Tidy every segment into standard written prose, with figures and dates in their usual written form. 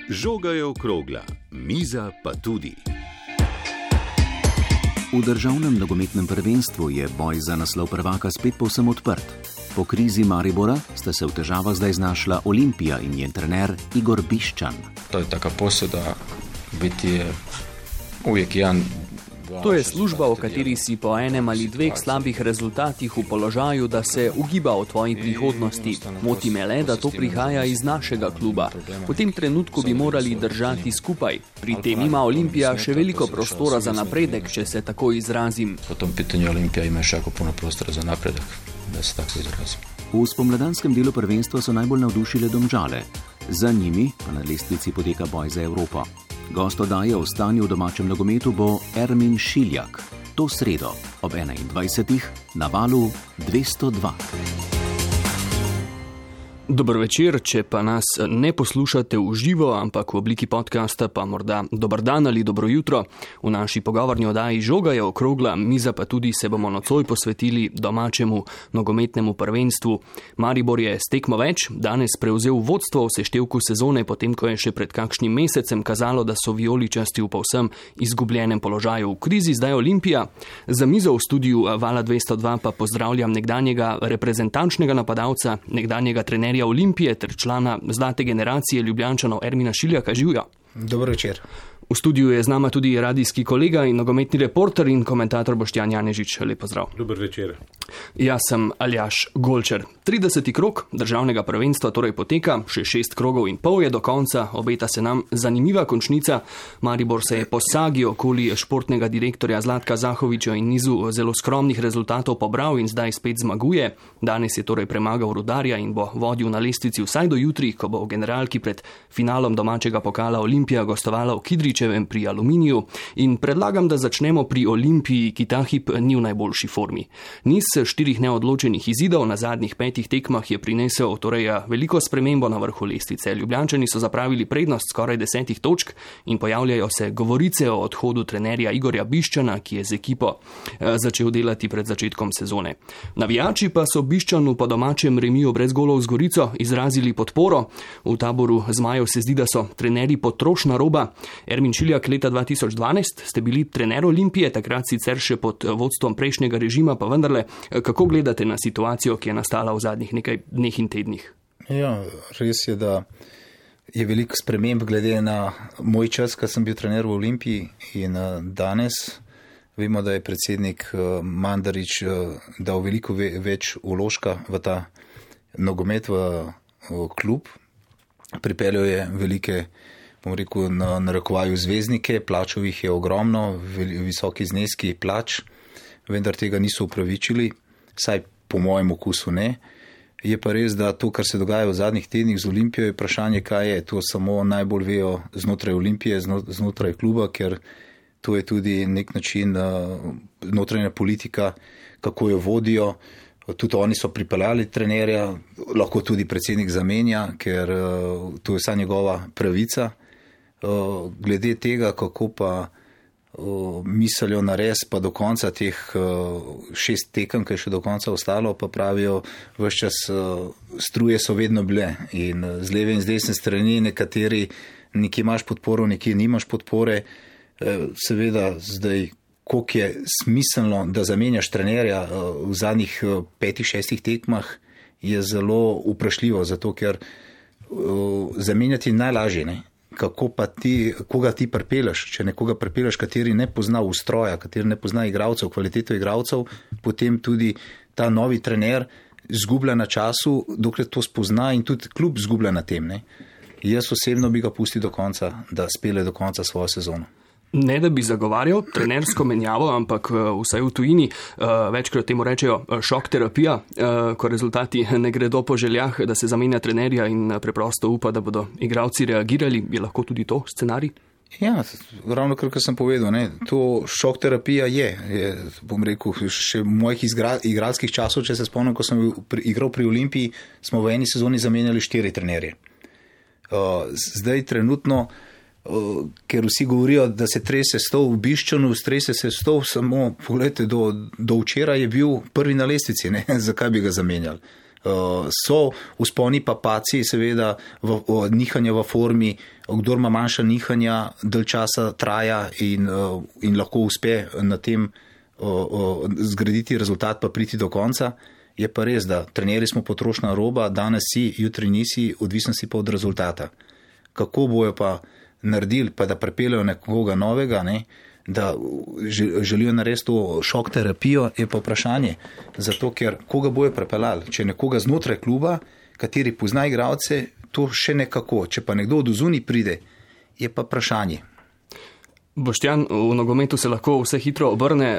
Žoga je okrogla, miza pa tudi. V državnem nogometnem prvenstvu je boj za naslov prvaka spet povsem odprt. Po krizi Maribora sta se v težavah zdaj znašla Olimpija in njen trener Igor Bišćan. To je taka posuda, biti je uvijek jedan. To je služba, v kateri si po enem ali dveh slabih rezultatih v položaju, da se ugiba o tvoji prihodnosti. Moti me le, da to prihaja iz našega kluba. V tem trenutku bi morali držati skupaj. Pri tem ima Olimpija še veliko prostora za napredek, če se tako izrazim. Po tom pitanju Olimpija ima še jako puno prostora za napredek, da se tako izrazim. V spomladanskem delu prvenstva so najbolj navdušile Domžale. Za njimi pa na lestvici poteka boj za Evropo. Gost oddaje o stanju v domačem nogometu bo Ermin Šiljak. To sredo ob 21. na valu 202. Dober večer, če pa nas ne poslušate v živo, ampak v obliki podcasta, pa morda dober dan ali dobro jutro. V naši pogovorni oddaji Žoga je okrogla, miza pa tudi se bomo nocoj posvetili domačemu nogometnemu prvenstvu. Maribor je s tekmo več, danes prevzel vodstvo v seštevku sezone, potem ko je še pred kakšnim mesecem kazalo, da so vijoličasti v povsem izgubljenem položaju. V krizi zdaj Olimpija. Za mizo v studiu Vala 202 pa pozdravljam nekdanjega reprezentančnega napadalca, nekdanjega trenerja Olimpije ter člana zlate generacije Ljubljančanov Ermina Šiljaka. Živjo. Dobro večer. V studiu je z nama tudi radijski kolega in nogometni reporter in komentator Boštjan Janežič. Lep pozdrav. Dober večer. Jaz sem Aljaž Golčer. 30. krog državnega prvenstva torej poteka, še 6 krogov in pol je do konca, obeta se nam zanimiva končnica. Maribor se je po sagi okoli športnega direktorja Zlatka Zahoviča in nizu zelo skromnih rezultatov pobral in zdaj spet zmaguje. Danes je torej premagal Rudarja in bo vodil na lestvici vsaj do jutri, ko bo v generalki pred finalom domačega pokala Olimpija gostovala v Kidričevem pri Aluminiju. In predlagam, da začnemo pri Olimpiji, ki ta hip ni v najboljši formi. Niz 4 neodločenih izidov na zadnjih 5 tekmah je prinesel torej veliko spremembo na vrhu lestvice. Ljubljančani so zapravili prednost skoraj 10 točk in pojavljajo se govorice o odhodu trenerja Igorja Bišćana, ki je z ekipo začel delati pred začetkom sezone. Navijači pa so Bišćanu po domačem remiju brez golov z Gorico izrazili podporo. V taboru zmajev se zdi, da so trenerji potrošna roba. Ermin Šiljak, leta 2012 ste bili trener Olimpije, takrat sicer še pod vodstvom prejšnjega režima, pa vendarle, kako gledate na situacijo, ki je nastala v zadnjih nekaj dneh in tednih? Ja, res je, da je veliko sprememb glede na moj čas, ko sem bil trener v Olimpiji in danes. Vemo, da je predsednik Mandarić dal veliko več vložka v ta nogomet, v klub. Pripeljal je velike, bom rekel, na narekovaju zvezdnike, plačal jih je ogromno, visoki zneski plač, vendar tega niso upravičili, saj po mojem okusu ne. Je pa res, da to, kar se dogaja v zadnjih tednih z Olimpijo, je vprašanje, kaj je. To samo najbolj vejo znotraj Olimpije, znotraj kluba, ker to je tudi nek način notranja politika, kako jo vodijo. Tudi oni so pripeljali trenerja, lahko tudi predsednik zamenja, ker to je vsa njegova pravica. Glede tega, kako pa mislijo nares pa do konca teh 6 tekem, ki je še do konca ostalo, pa pravijo, ves čas struje so vedno bile in z leve in z desne strani nekateri nekje imaš podporo, nekje nimaš podpore. Seveda zdaj, koliko je smiselno, da zamenjaš trenerja v zadnjih 5-6 tekmah, je zelo vprašljivo, zato ker zamenjati najlažje, ne? Kako pa ti, koga ti pripeljaš, če nekoga pripeljaš, kateri ne pozna ustroja, kateri ne pozna igralcev, kvaliteto igralcev, potem tudi ta novi trener zgublja na času, dokler to spozna in tudi klub zgublja na tem, ne? Jaz osebno bi ga pustil do konca, da spele do konca svojo sezono. Ne da bi zagovarjal trenersko menjavo, ampak vsaj v tujini večkrat temu rečejo šok terapija, ko rezultati ne gredo po željah, da se zamenja trenerja in preprosto upa, da bodo igralci reagirali. Je lahko tudi to scenarij? Ja, ravno kar sem povedal, ne, to šok terapija je, bom rekel, še mojih igralskih časov, če se spomnim, ko sem igral pri Olimpiji, smo v eni sezoni zamenjali 4 trenerje. Zdaj trenutno, ker vsi govorijo, da se trese stol v Bišćanu, strese se stol, samo pogledajte, do včeraj je bil prvi na lestvici, ne? Zakaj bi ga zamenjali? So vzponi pa paci, seveda nihanja v formi, kdor ima manjša nihanja, dalj časa traja in lahko uspe na tem zgraditi rezultat pa priti do konca. Je pa res, da trenerji smo potrošna roba, danes si, jutri nisi, odvisno si pa od rezultata. Kako bojo pa naredili, pa da prepeljajo nekoga novega, ne, da želijo narediti to šok terapijo, je pa vprašanje. Zato, ker koga bojo prepeljali? Če nekoga znotraj kluba, kateri pozna igralce, to še nekako. Če pa nekdo od zunaj pride, je pa vprašanje. Boštjan, v nogometu se lahko vse hitro obrne.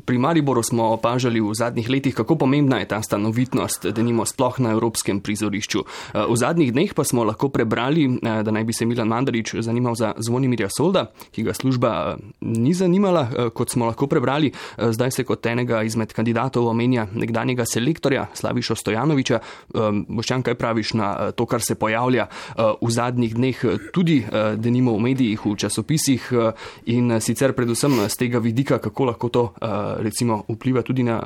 Pri Mariboru smo opažali v zadnjih letih, kako pomembna je ta stanovitnost, denimo sploh na evropskem prizorišču. V zadnjih dneh pa smo lahko prebrali, da naj bi se Milan Mandarić zanimal za Zvonimirja Solda, ki ga služba ni zanimala, kot smo lahko prebrali. Zdaj se kot enega izmed kandidatov omenja nekdanjega selektorja Slavišo Stojanovića. Boštjan, kaj praviš na to, kar se pojavlja v zadnjih dneh, tudi denimo v medijih, v časopisih, in sicer predvsem z tega vidika, kako lahko to recimo vpliva tudi na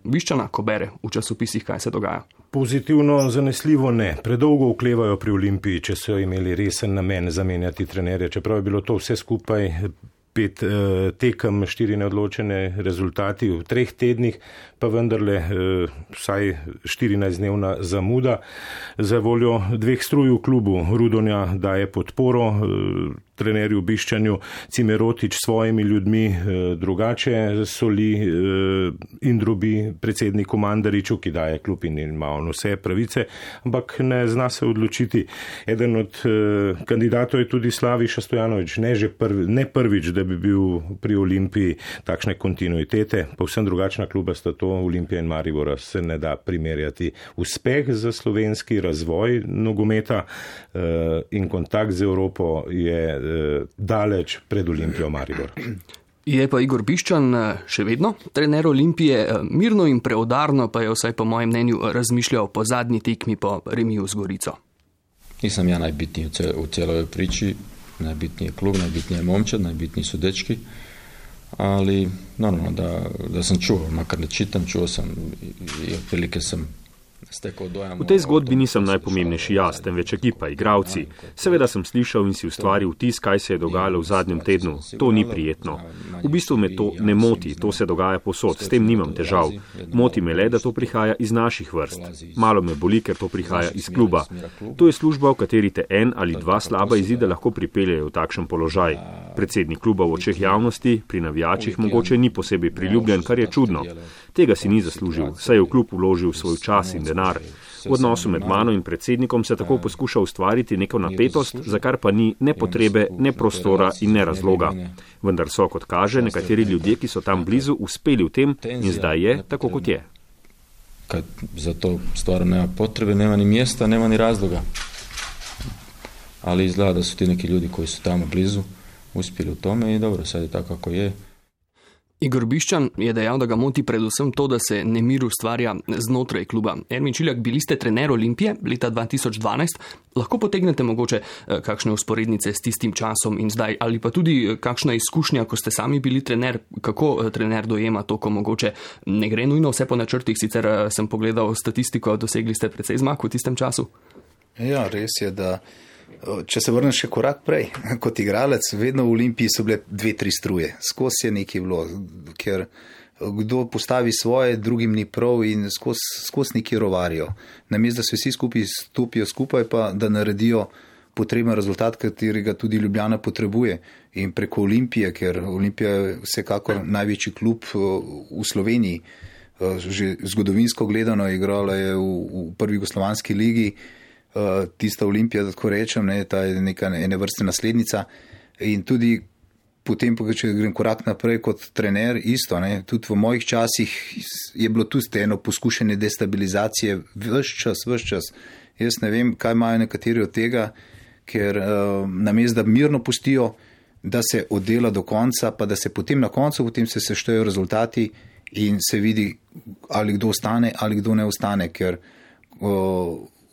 Bišćana, ko bere v časopisih, kaj se dogaja? Pozitivno, zanesljivo ne. Predolgo oklevajo pri Olimpiji, če so imeli resen namen zamenjati trenerje. Čeprav je bilo to vse skupaj 5 tekem, 4 neodločene rezultati v 3 tednih, pa vendarle vsaj 14-dnevna zamuda. Za voljo 2 struj v klubu Rudonja daje podporo trenerju Bišćanju, Cimerotić svojimi ljudmi drugače soli in drobi predsedniku Mandariću, ki daje klub in ima on vse pravice, ampak ne zna se odločiti. Eden od kandidatov je tudi Slaviša Stojanović, ne prvič, da bi bil pri Olimpiji takšne kontinuitete, povsem drugačna kluba sta to, Olimpija in Maribora, se ne da primerjati. Uspeh za slovenski razvoj nogometa in kontakt z Evropo je daleč pred Olimpijo Maribor. Je pa Igor Bišćan še vedno trener Olimpije, mirno in preudarno pa je vsaj po mojem mnenju razmišljal po zadnji tekmi po remiju z Gorico. Nisam ja najbitniji u cijeloj priči, najbitniji je klub, najbitniji je momčad, najbitniji su dečki, ali normalno da sam čuo, makar ne čitam, čuo sam i otprilike sam stekao dojam. V tej zgodbi nisem najpomembnejši jaz, temveč ekipa, igravci. Seveda sem slišal in si ustvaril vtis, kaj se je dogajalo v zadnjem tednu. To ni prijetno. V bistvu me to ne moti, to se dogaja povsod, s tem nimam težav. Moti me le, da to prihaja iz naših vrst. Malo me boli, ker to prihaja iz kluba. To je služba, v kateri te 1 ali 2 slaba izida lahko pripeljejo v takšen položaj. Predsednik kluba v očeh javnosti, pri navijačih mogoče ni posebej priljubljen, kar je čudno. Tega si ni zaslužil, saj je v klub vložil svoj čas in denar. V odnosu med mano in predsednikom se tako poskuša ustvariti neko napetost, za kar pa ni ne potrebe, ne prostora in ne razloga. Vendar so, kot kaže, nekateri ljudje, ki so tam blizu, uspeli v tem in zdaj je tako, kot je. Kad za to stvarno nema potrebe, nema ni mjesta, nema ni razloga. Ali izgleda da su ti neki ljudi koji su tamo blizu uspjeli u tome i dobro, sad je tako kako je. Igor Bišćan je dejal, da ga moti predvsem to, da se nemir ustvarja znotraj kluba. Ermin Šiljak, bili ste trener Olimpije leta 2012. Lahko potegnete mogoče kakšne usporednice s tistim časom in zdaj, ali pa tudi kakšna izkušnja, ko ste sami bili trener, kako trener dojema to, ko mogoče ne gre nujno vse po načrtih, sicer sem pogledal statistiko, dosegli ste precej zmag v tistem času? Ja, res je, da če se vrnem še korak prej, kot igralec, vedno v Olimpiji so bile 2-3 struje. Skozi je nekaj bilo, ker kdo postavi svoje, drugim ni prav in skozi nekaj rovarijo. Namesto, da se vsi skupaj stopijo skupaj, pa da naredijo potreben rezultat, katerega tudi Ljubljana potrebuje. In preko Olimpije, ker Olimpija je vsekakor največji klub v Sloveniji, že zgodovinsko gledano igrala je v prvi jugoslovanski ligi, tista Olimpija, da tako rečem, ta je neka ene vrste naslednica in tudi potem, če grem korak naprej kot trener, isto, tudi v mojih časih je bilo tudi eno poskušanje destabilizacije ves čas. Jaz ne vem, kaj imajo nekateri od tega, ker namesto, da mirno pustijo, da se oddela do konca, pa da se potem na koncu, potem se seštejo rezultati in se vidi, ali kdo ostane, ali kdo ne ostane, ker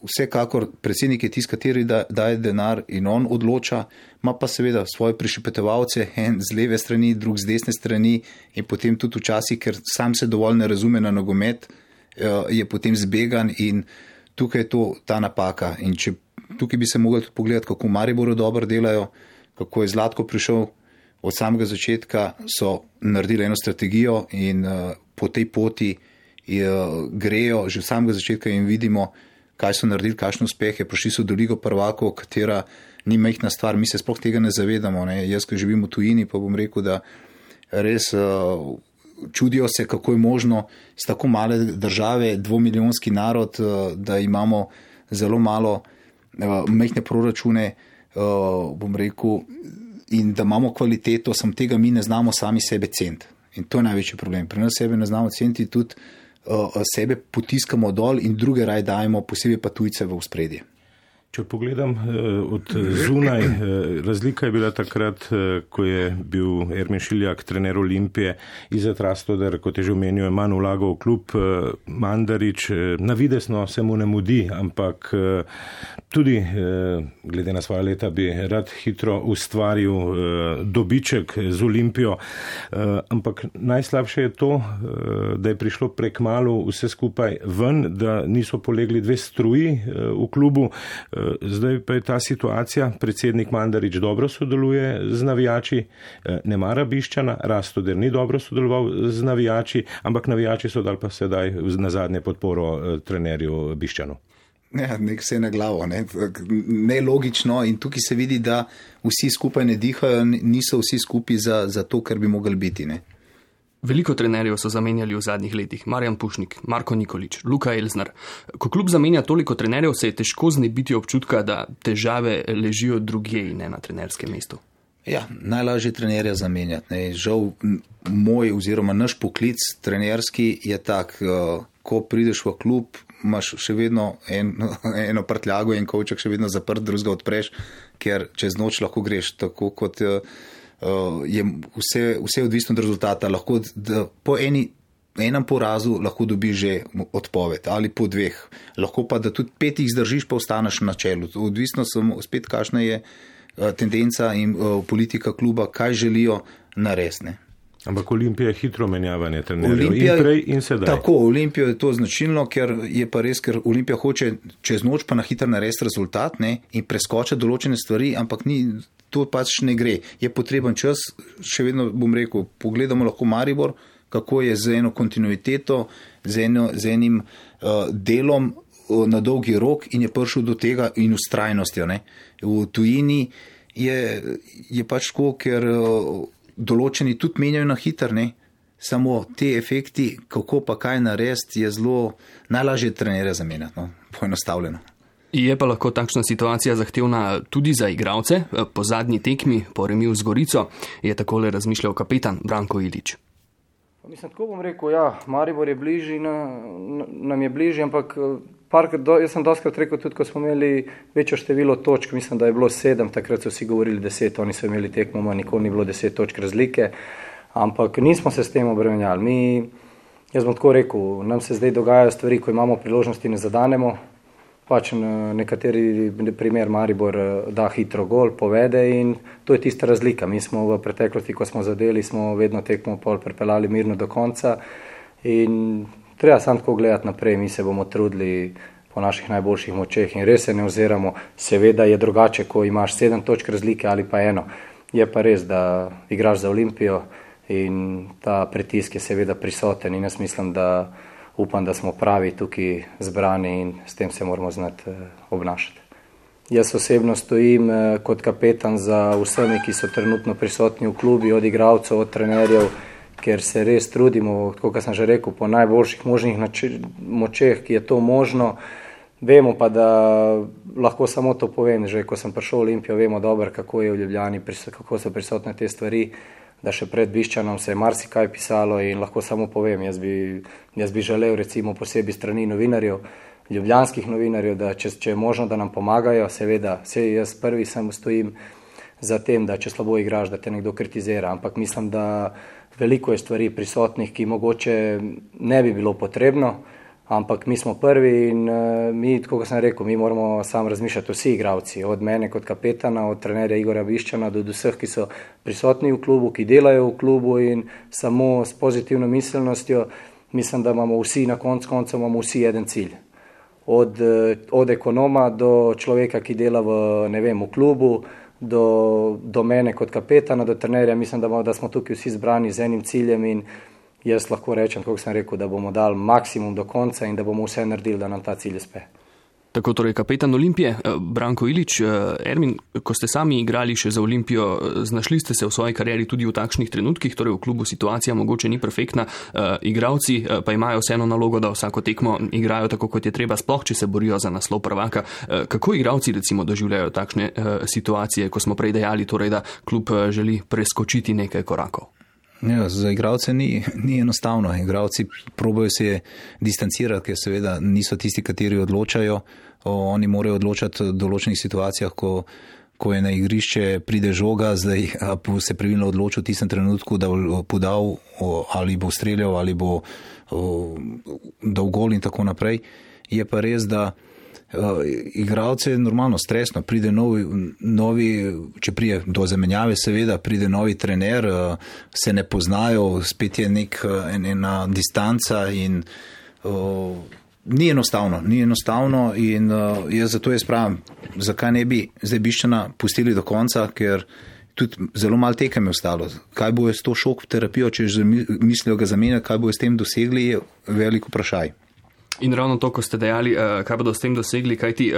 vsekakor predsednik je tisti, kateri daje denar in on odloča, ima pa seveda svoje prišepetovalce, en z leve strani, drug z desne strani in potem tudi včasih, ker sam se dovolj ne razume na nogomet, je potem zbegan in tukaj je ta napaka. In tukaj bi se mogli tudi pogledati, kako Mariboru dobro delajo, kako je Zlatko prišel od samega začetka, so naredili eno strategijo in po tej poti grejo že od samega začetka in vidimo, kaj so naredili, kakšne uspehe. Prišli so do Ligo prvakov, katera ni majhna stvar, mi se sploh tega ne zavedamo. Ne. Jaz, ko živim v tujini, pa bom rekel, da res čudijo se, kako je možno z tako male države, 2-milijonski narod, da imamo zelo malo majhne proračune, bom rekel, in da imamo kvaliteto, samo tega mi ne znamo sami sebe ceniti. In to je največji problem. Pri nas sebe ne znamo ceniti, tudi sebe potiskamo dol in druge raj dajemo, posebej pa tujce v ospredje. Če pogledam od zunaj, razlika je bila takrat, ko je bil Ermin Šiljak trener Olimpije, Izet Rastoder, kot je že omenil, je manj vlagal v klub, Mandarić, navidesno se mu ne mudi, ampak tudi glede na svoje leta bi rad hitro ustvaril dobiček z Olimpijo, ampak najslabše je to, da je prišlo prekmalu vse skupaj ven, da niso polegli dve struji v klubu. Zdaj pa je ta situacija, predsednik Mandarić dobro sodeluje z navijači, ne mara Bišćana, Rastoder ni dobro sodeloval z navijači, ampak navijači so dali pa sedaj na zadnje podporo trenerju Bišćanu. Nek se je na glavo, nelogično in tukaj se vidi, da vsi skupaj ne dihajo, niso vsi skupaj za to, kar bi mogli biti. Ne? Veliko trenerjev so zamenjali v zadnjih letih. Marjan Pušnik, Marko Nikolić, Luka Elznar. Ko klub zamenja toliko trenerjev, se je težko znebiti občutka, da težave ležijo drugje in ne na trenerskem mestu. Ja, najlažje trenerja zamenjati. Ne. Žal moj oziroma naš poklic trenerski je tak, ko prideš v klub, imaš še vedno eno prtljago in kovček še vedno zaprt, drugega odpreš, ker čez noč lahko greš, tako kot je vse odvisno od rezultata. Lahko po enem porazu lahko dobiš že odpoved ali po dveh. Lahko pa, da tudi 5 zdržiš, pa ostaneš na čelu. Odvisno samo spet, kakšna je tendenca in politika kluba, kaj želijo narediti. Ampak Olimpija je hitro menjavanje trenerjev in prej in sedaj. Tako, Olimpijo je to značilno, ker je pa res, ker Olimpija hoče čez noč pa na hitro narediti rezultat, ne, in preskočiti določene stvari, ampak to pač ne gre. Je potreben čas, še vedno bom rekel, pogledamo lahko Maribor, kako je z eno kontinuiteto, z enim delom na dolgi rok in je prišel do tega in vztrajnostjo. Ne. V tujini je pač tako, ker določeni tudi menjajo na hitro, ne. Samo te efekti, kako pa kaj narediti, je zelo najlažje trenerja zamenjati, poenostavljeno. Je pa lahko takšna situacija zahtevna tudi za igralce. Po zadnji tekmi, po remiju z Gorico, je takole razmišljal kapetan Branko Ilić. Mislim, tako bom rekel, ja, Maribor je bližji, nam je bližji, ampak jaz sem doskrat rekel, tudi ko smo imeli večjo število točk, mislim, da je bilo 7, takrat so vsi govorili 10, oni so imeli tekmo, nikoli ni bilo 10 točk razlike, ampak nismo se s tem obremenjali. Jaz bom tako rekel, nam se zdaj dogajajo stvari, ko imamo priložnosti, ne zadanemo. Pač nekateri primer Maribor da hitro gol, povede in to je tista razlika. Mi smo v preteklosti, ko smo zadeli, smo vedno tekmo pol prepeljali mirno do konca in treba samo tako gledati naprej, mi se bomo trudili po naših najboljših močeh in res se ne oziramo. Seveda je drugače, ko imaš 7 točk razlike ali pa 1. Je pa res, da igraš za Olimpijo in ta pritisk je seveda prisoten in jaz mislim, da upam, da smo pravi tukaj zbrani in s tem se moramo znati obnašati. Jaz osebno stojim kot kapetan za vsemi, ki so trenutno prisotni v klubi, od igralcev, od trenerjev, ker se res trudimo, kot sem že rekel, po najboljših možnih močeh, ki je to možno. Vemo pa, da lahko samo to povem, že ko sem prišel v Olimpijo, vemo dobro, kako je v Ljubljani, kako so prisotne te stvari, da še pred Bišćanom se je marsikaj pisalo in lahko samo povem, jaz bi želel recimo posebej strani novinarjev, ljubljanskih novinarjev, da če je možno, da nam pomagajo, seveda, jaz prvi sem stojim za tem, da če slabo igraš, da te nekdo kritizira, ampak mislim, da veliko je stvari prisotnih, ki mogoče ne bi bilo potrebno, ampak mi smo prvi in mi, tako kot sem rekel, mi moramo sam razmišljati vsi igralci, od mene kot kapetana, od trenerja Igorja Bišćana do vseh, ki so prisotni v klubu, ki delajo v klubu in samo s pozitivno miselnostjo mislim, da imamo vsi na koncu imamo vsi eden cilj. Od ekonoma do človeka, ki dela v klubu, do mene kot kapetana, do trenerja, mislim, da smo tukaj vsi zbrani z enim ciljem in jaz lahko rečem, kako sem rekel, da bomo dali maksimum do konca in da bomo vse naredili, da nam ta cilj uspe. Tako torej kapetan Olimpije, Branko Ilić. Ermin, ko ste sami igrali še za Olimpijo, znašli ste se v svoji karieri tudi v takšnih trenutkih, torej v klubu situacija mogoče ni perfektna, igralci pa imajo vseeno nalogo, da vsako tekmo igrajo tako, kot je treba, sploh če se borijo za naslov prvaka. Kako igralci recimo doživljajo takšne situacije, ko smo prej dejali, torej, da klub želi preskočiti nekaj korakov? Ja, za igralce ni enostavno. Igralci probajo se distancirati, ker seveda niso tisti, kateri odločajo. Oni morajo odločati v določenih situacijah, ko je na igrišče pride žoga, zdaj se pravilno odločil v tistem trenutku, da bo podal ali bo streljal ali bo dal gol in tako naprej. Je pa res, da igralce je normalno stresno, pride novi, če prije do zamenjave, seveda pride novi trener, se ne poznajo, spet je ena distanca in ni enostavno in zato jaz pravim, zakaj ne bi zdaj Bišćana pustili do konca, ker tudi zelo malo tekem je ostalo. Kaj bo s to šok terapijo, če mislijo ga zamenjati, kaj bo s tem dosegli, je veliko vprašaj. In ravno to, ko ste dejali, kaj bodo s tem dosegli, kajti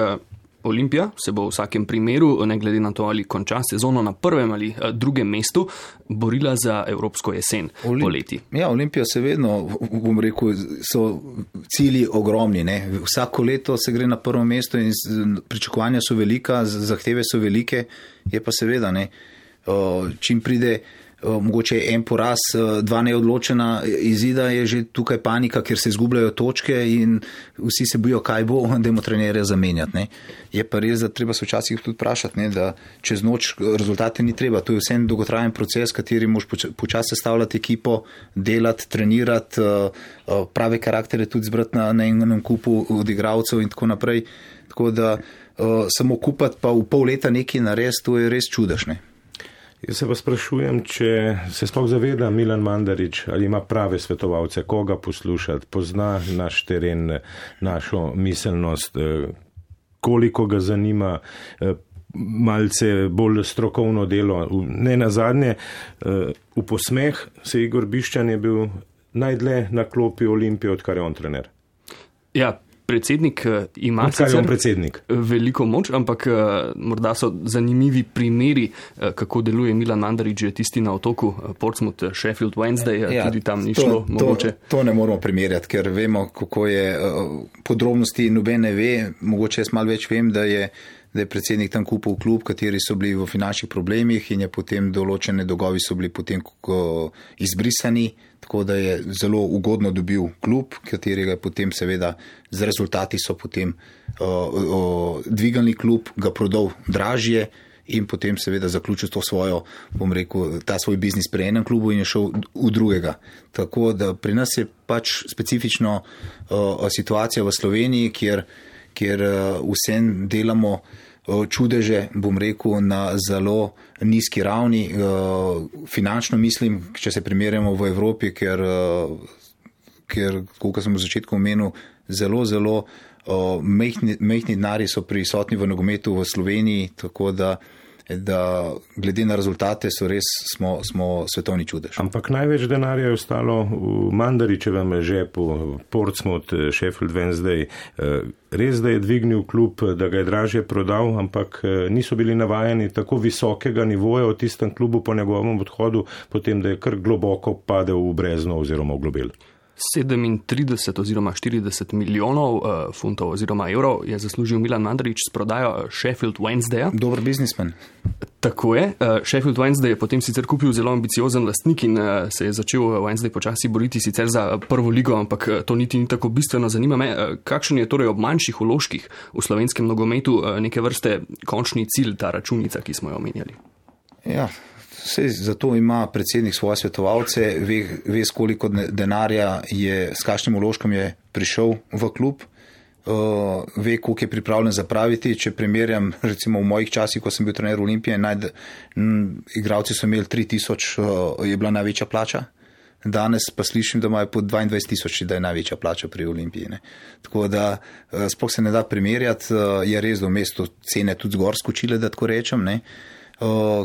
Olimpija se bo v vsakem primeru, ne glede na to, ali konča sezono na prvem ali drugem mestu, borila za evropsko jesen poleti. Ja, Olimpija se vedno, bom rekel, so cilji ogromni. Ne? Vsako leto se gre na prvo mesto in pričakovanja so velika, zahteve so velike, je pa seveda, ne, čim pride mogoče en poraz, dva neodločena izida, je že tukaj panika, ker se izgubljajo točke in vsi se bojijo, kaj bo, dajmo trenerja zamenjati. Ne. Je pa res, da treba se včasih tudi vprašati, ne, da čez noč rezultate ni treba. To je vse en dolgotrajen proces, kateri moraš počasi sestavljati ekipo, delati, trenirati, prave karaktere tudi zbrati na enem kupu od igralcev in tako naprej. Tako da samo kupati pa v pol leta nekaj narediti, to je res čudež. Ne. Jaz se pa sprašujem, če se sploh zaveda Milan Mandarić, ali ima prave svetovalce, koga poslušati, pozna naš teren, našo miselnost, koliko ga zanima malce bolj strokovno delo. Ne nazadnje, v posmeh se Igor Bišćan je bil najdlje na klopi Olimpije, odkar je on trener. Ja, predsednik ima veliko moč, ampak morda so zanimivi primeri, kako deluje Milan Mandarić, tisti na otoku Portsmouth, Sheffield Wednesday, tudi tam ni šlo mogoče. To ne moramo primerjati, ker vemo, kako je podrobnosti, noben ne ve, mogoče jaz malo več vem, da je predsednik tam kupil klub, kateri so bili v finančnih problemih in je potem določene dolgovi so bili potem izbrisani, tako da je zelo ugodno dobil klub, katerega je potem seveda z rezultati so potem dvigali klub, ga prodal dražje in potem seveda zaključil to svojo, bom rekel, ta svoj biznis pri enem klubu in je šel v drugega. Tako da pri nas je pač specifično situacija v Sloveniji, kjer vsem delamo čudeže, bom rekel, na zelo nizki ravni. Finančno mislim, če se primerjamo v Evropi, ker koliko sem v začetku omenil, zelo mehni denarji so prisotni v nogometu v Sloveniji, tako da glede na rezultate smo svetovni čudež. Ampak največ denarja je ostalo v Mandarićevem žepu, Portsmouth, Sheffield Wednesday. Res, da je dvignil klub, da ga je dražje prodal, ampak niso bili navajeni tako visokega nivoja v tistem klubu po njegovem odhodu, potem da je kar globoko padel v brezno oziroma v globel. 37 oziroma 40 milijonov funtov oziroma evrov je zaslužil Milan Mandarić s prodajo Sheffield Wednesdaya. Dober biznismen. Tako je. Sheffield Wednesday je potem sicer kupil zelo ambiciozen lastnik in se je začel Wednesday počasi boriti sicer za prvo ligo, ampak to niti ni tako bistveno. Zanima me, kakšen je torej ob manjših vložkih v slovenskem nogometu neke vrste končni cilj, ta računica, ki smo jo omenjali? Ja, zato ima predsednik svoje svetovalce, ve koliko denarja je, s kakšnim vložkom je prišel v klub, ve, koliko je pripravljen zapraviti. Če primerjam, recimo v mojih časih, ko sem bil trener Olimpije, igralci so imeli 3000, je bila največja plača danes pa slišim, da imajo po 22 000, da je največja plača pri Olimpiji. Ne. Tako da sploh se ne da primerjati, je res, da v mestu cene tudi zgor skočile, da tako rečem, ne.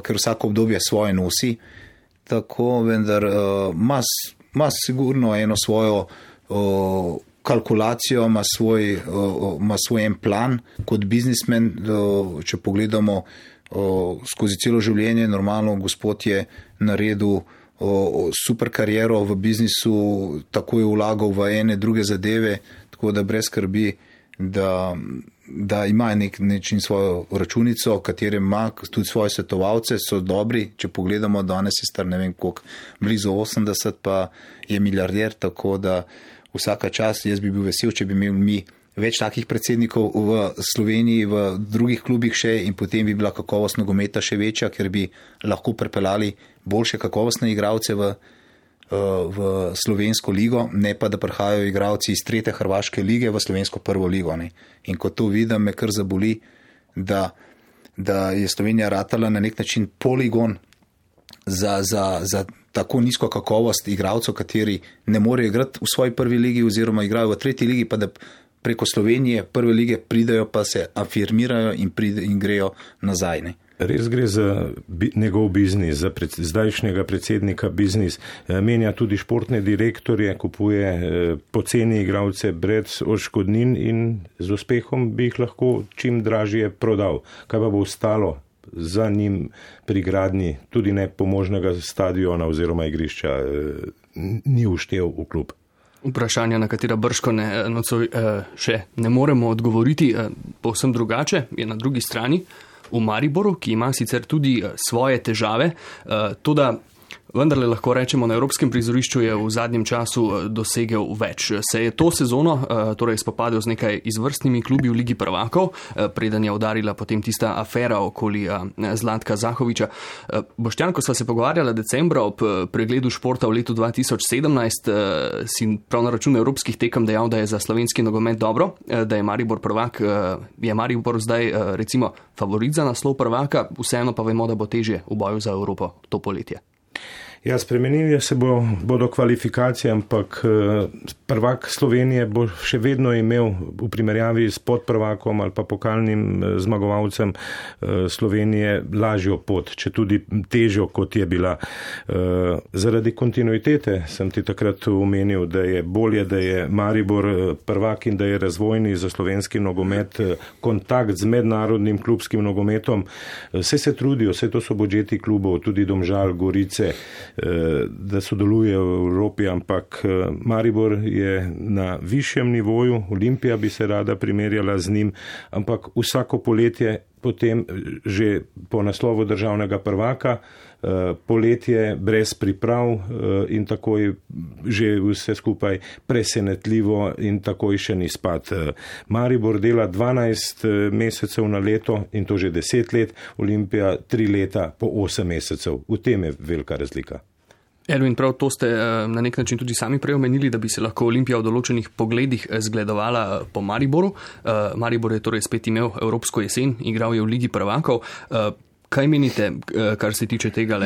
Ker vsako obdobje svoje nosi, tako vendar ima sigurno eno svojo kalkulacijo, ima svoj en plan kot biznismen, če pogledamo skozi celo življenje, normalno gospod je naredil super kariero v biznisu, tako je vlagal v ene druge zadeve, tako da brez skrbi, da ima nečin svojo računico, katere ima tudi svoje svetovalce, so dobri, če pogledamo, danes je star ne vem koliko, blizu 80, pa je milijarder, tako da vsaka čast, jaz bi bil vesel, če bi imeli mi več takih predsednikov v Sloveniji, v drugih klubih še in potem bi bila kakovost nogometa še večja, ker bi lahko prepeljali boljše kakovostne igralce v slovensko ligo, ne pa da prihajajo igralci iz 3. hrvaške lige v slovensko prvo ligo. Ne. In ko to vidim, me kar zaboli, da je Slovenija ratala na nek način poligon za tako nizko kakovost igralcev, kateri ne morejo igrati v svoji prvi ligi oziroma igrajo v 3. ligi, pa da preko Slovenije prve lige pridajo, pa se afirmirajo in grejo nazaj. Ne. Res gre za njegov biznis, za zdajšnjega predsednika biznis. Menja tudi športne direktorje, kupuje poceni igralce brez odškodnin in z uspehom bi jih lahko čim dražje prodal. Kaj pa bo ostalo za njim pri gradnji tudi nepomožnega stadiona oziroma igrišča, ni vštel v klub? Vprašanja, na katera brško še ne moremo odgovoriti, povsem drugače je na drugi strani v Mariboru, ki ima sicer tudi svoje težave, toda vendarle lahko rečemo, na evropskem prizorišču je v zadnjem času dosegel več. Se je to sezono torej spopadel z nekaj izvrstnimi klubi v Ligi prvakov, preden je udarila potem tista afera okoli Zlatka Zahoviča. Boštjan, ko sva se pogovarjala decembra ob pregledu športa v letu 2017, si prav na račun evropskih tekem dejal, da je za slovenski nogomet dobro, da je Maribor prvak, je Maribor zdaj recimo favorit za naslov prvaka, vseeno pa vemo, da bo težje v boju za Evropo to poletje. Ja, spremenili se bodo kvalifikacije, ampak prvak Slovenije bo še vedno imel v primerjavi s podprvakom ali pa pokalnim zmagovalcem Slovenije lažjo pot, če tudi težjo, kot je bila. Zaradi kontinuitete sem ti takrat omenil, da je bolje, da je Maribor prvak in da je razvojni za slovenski nogomet kontakt z mednarodnim klubskim nogometom. Vse se trudijo, vse to so budžeti klubov, tudi Domžal, Gorice, da sodelujejo v Evropi, ampak Maribor je na višjem nivoju, Olimpija bi se rada primerjala z njim, ampak vsako poletje potem že po naslovu državnega prvaka, poletje brez priprav in takoj že vse skupaj presenetljivo in takoj še ni spad. Maribor dela 12 mesecev na leto in to že 10 let, Olimpija 3 leta po 8 mesecev. V tem je velika razlika. Ervin, prav to ste na nek način tudi sami prej omenili, da bi se lahko Olimpija v določenih pogledih zgledovala po Mariboru. Maribor je torej spet imel evropsko jesen, igral je v Ligi prvakov. Kaj menite, kar se tiče tega,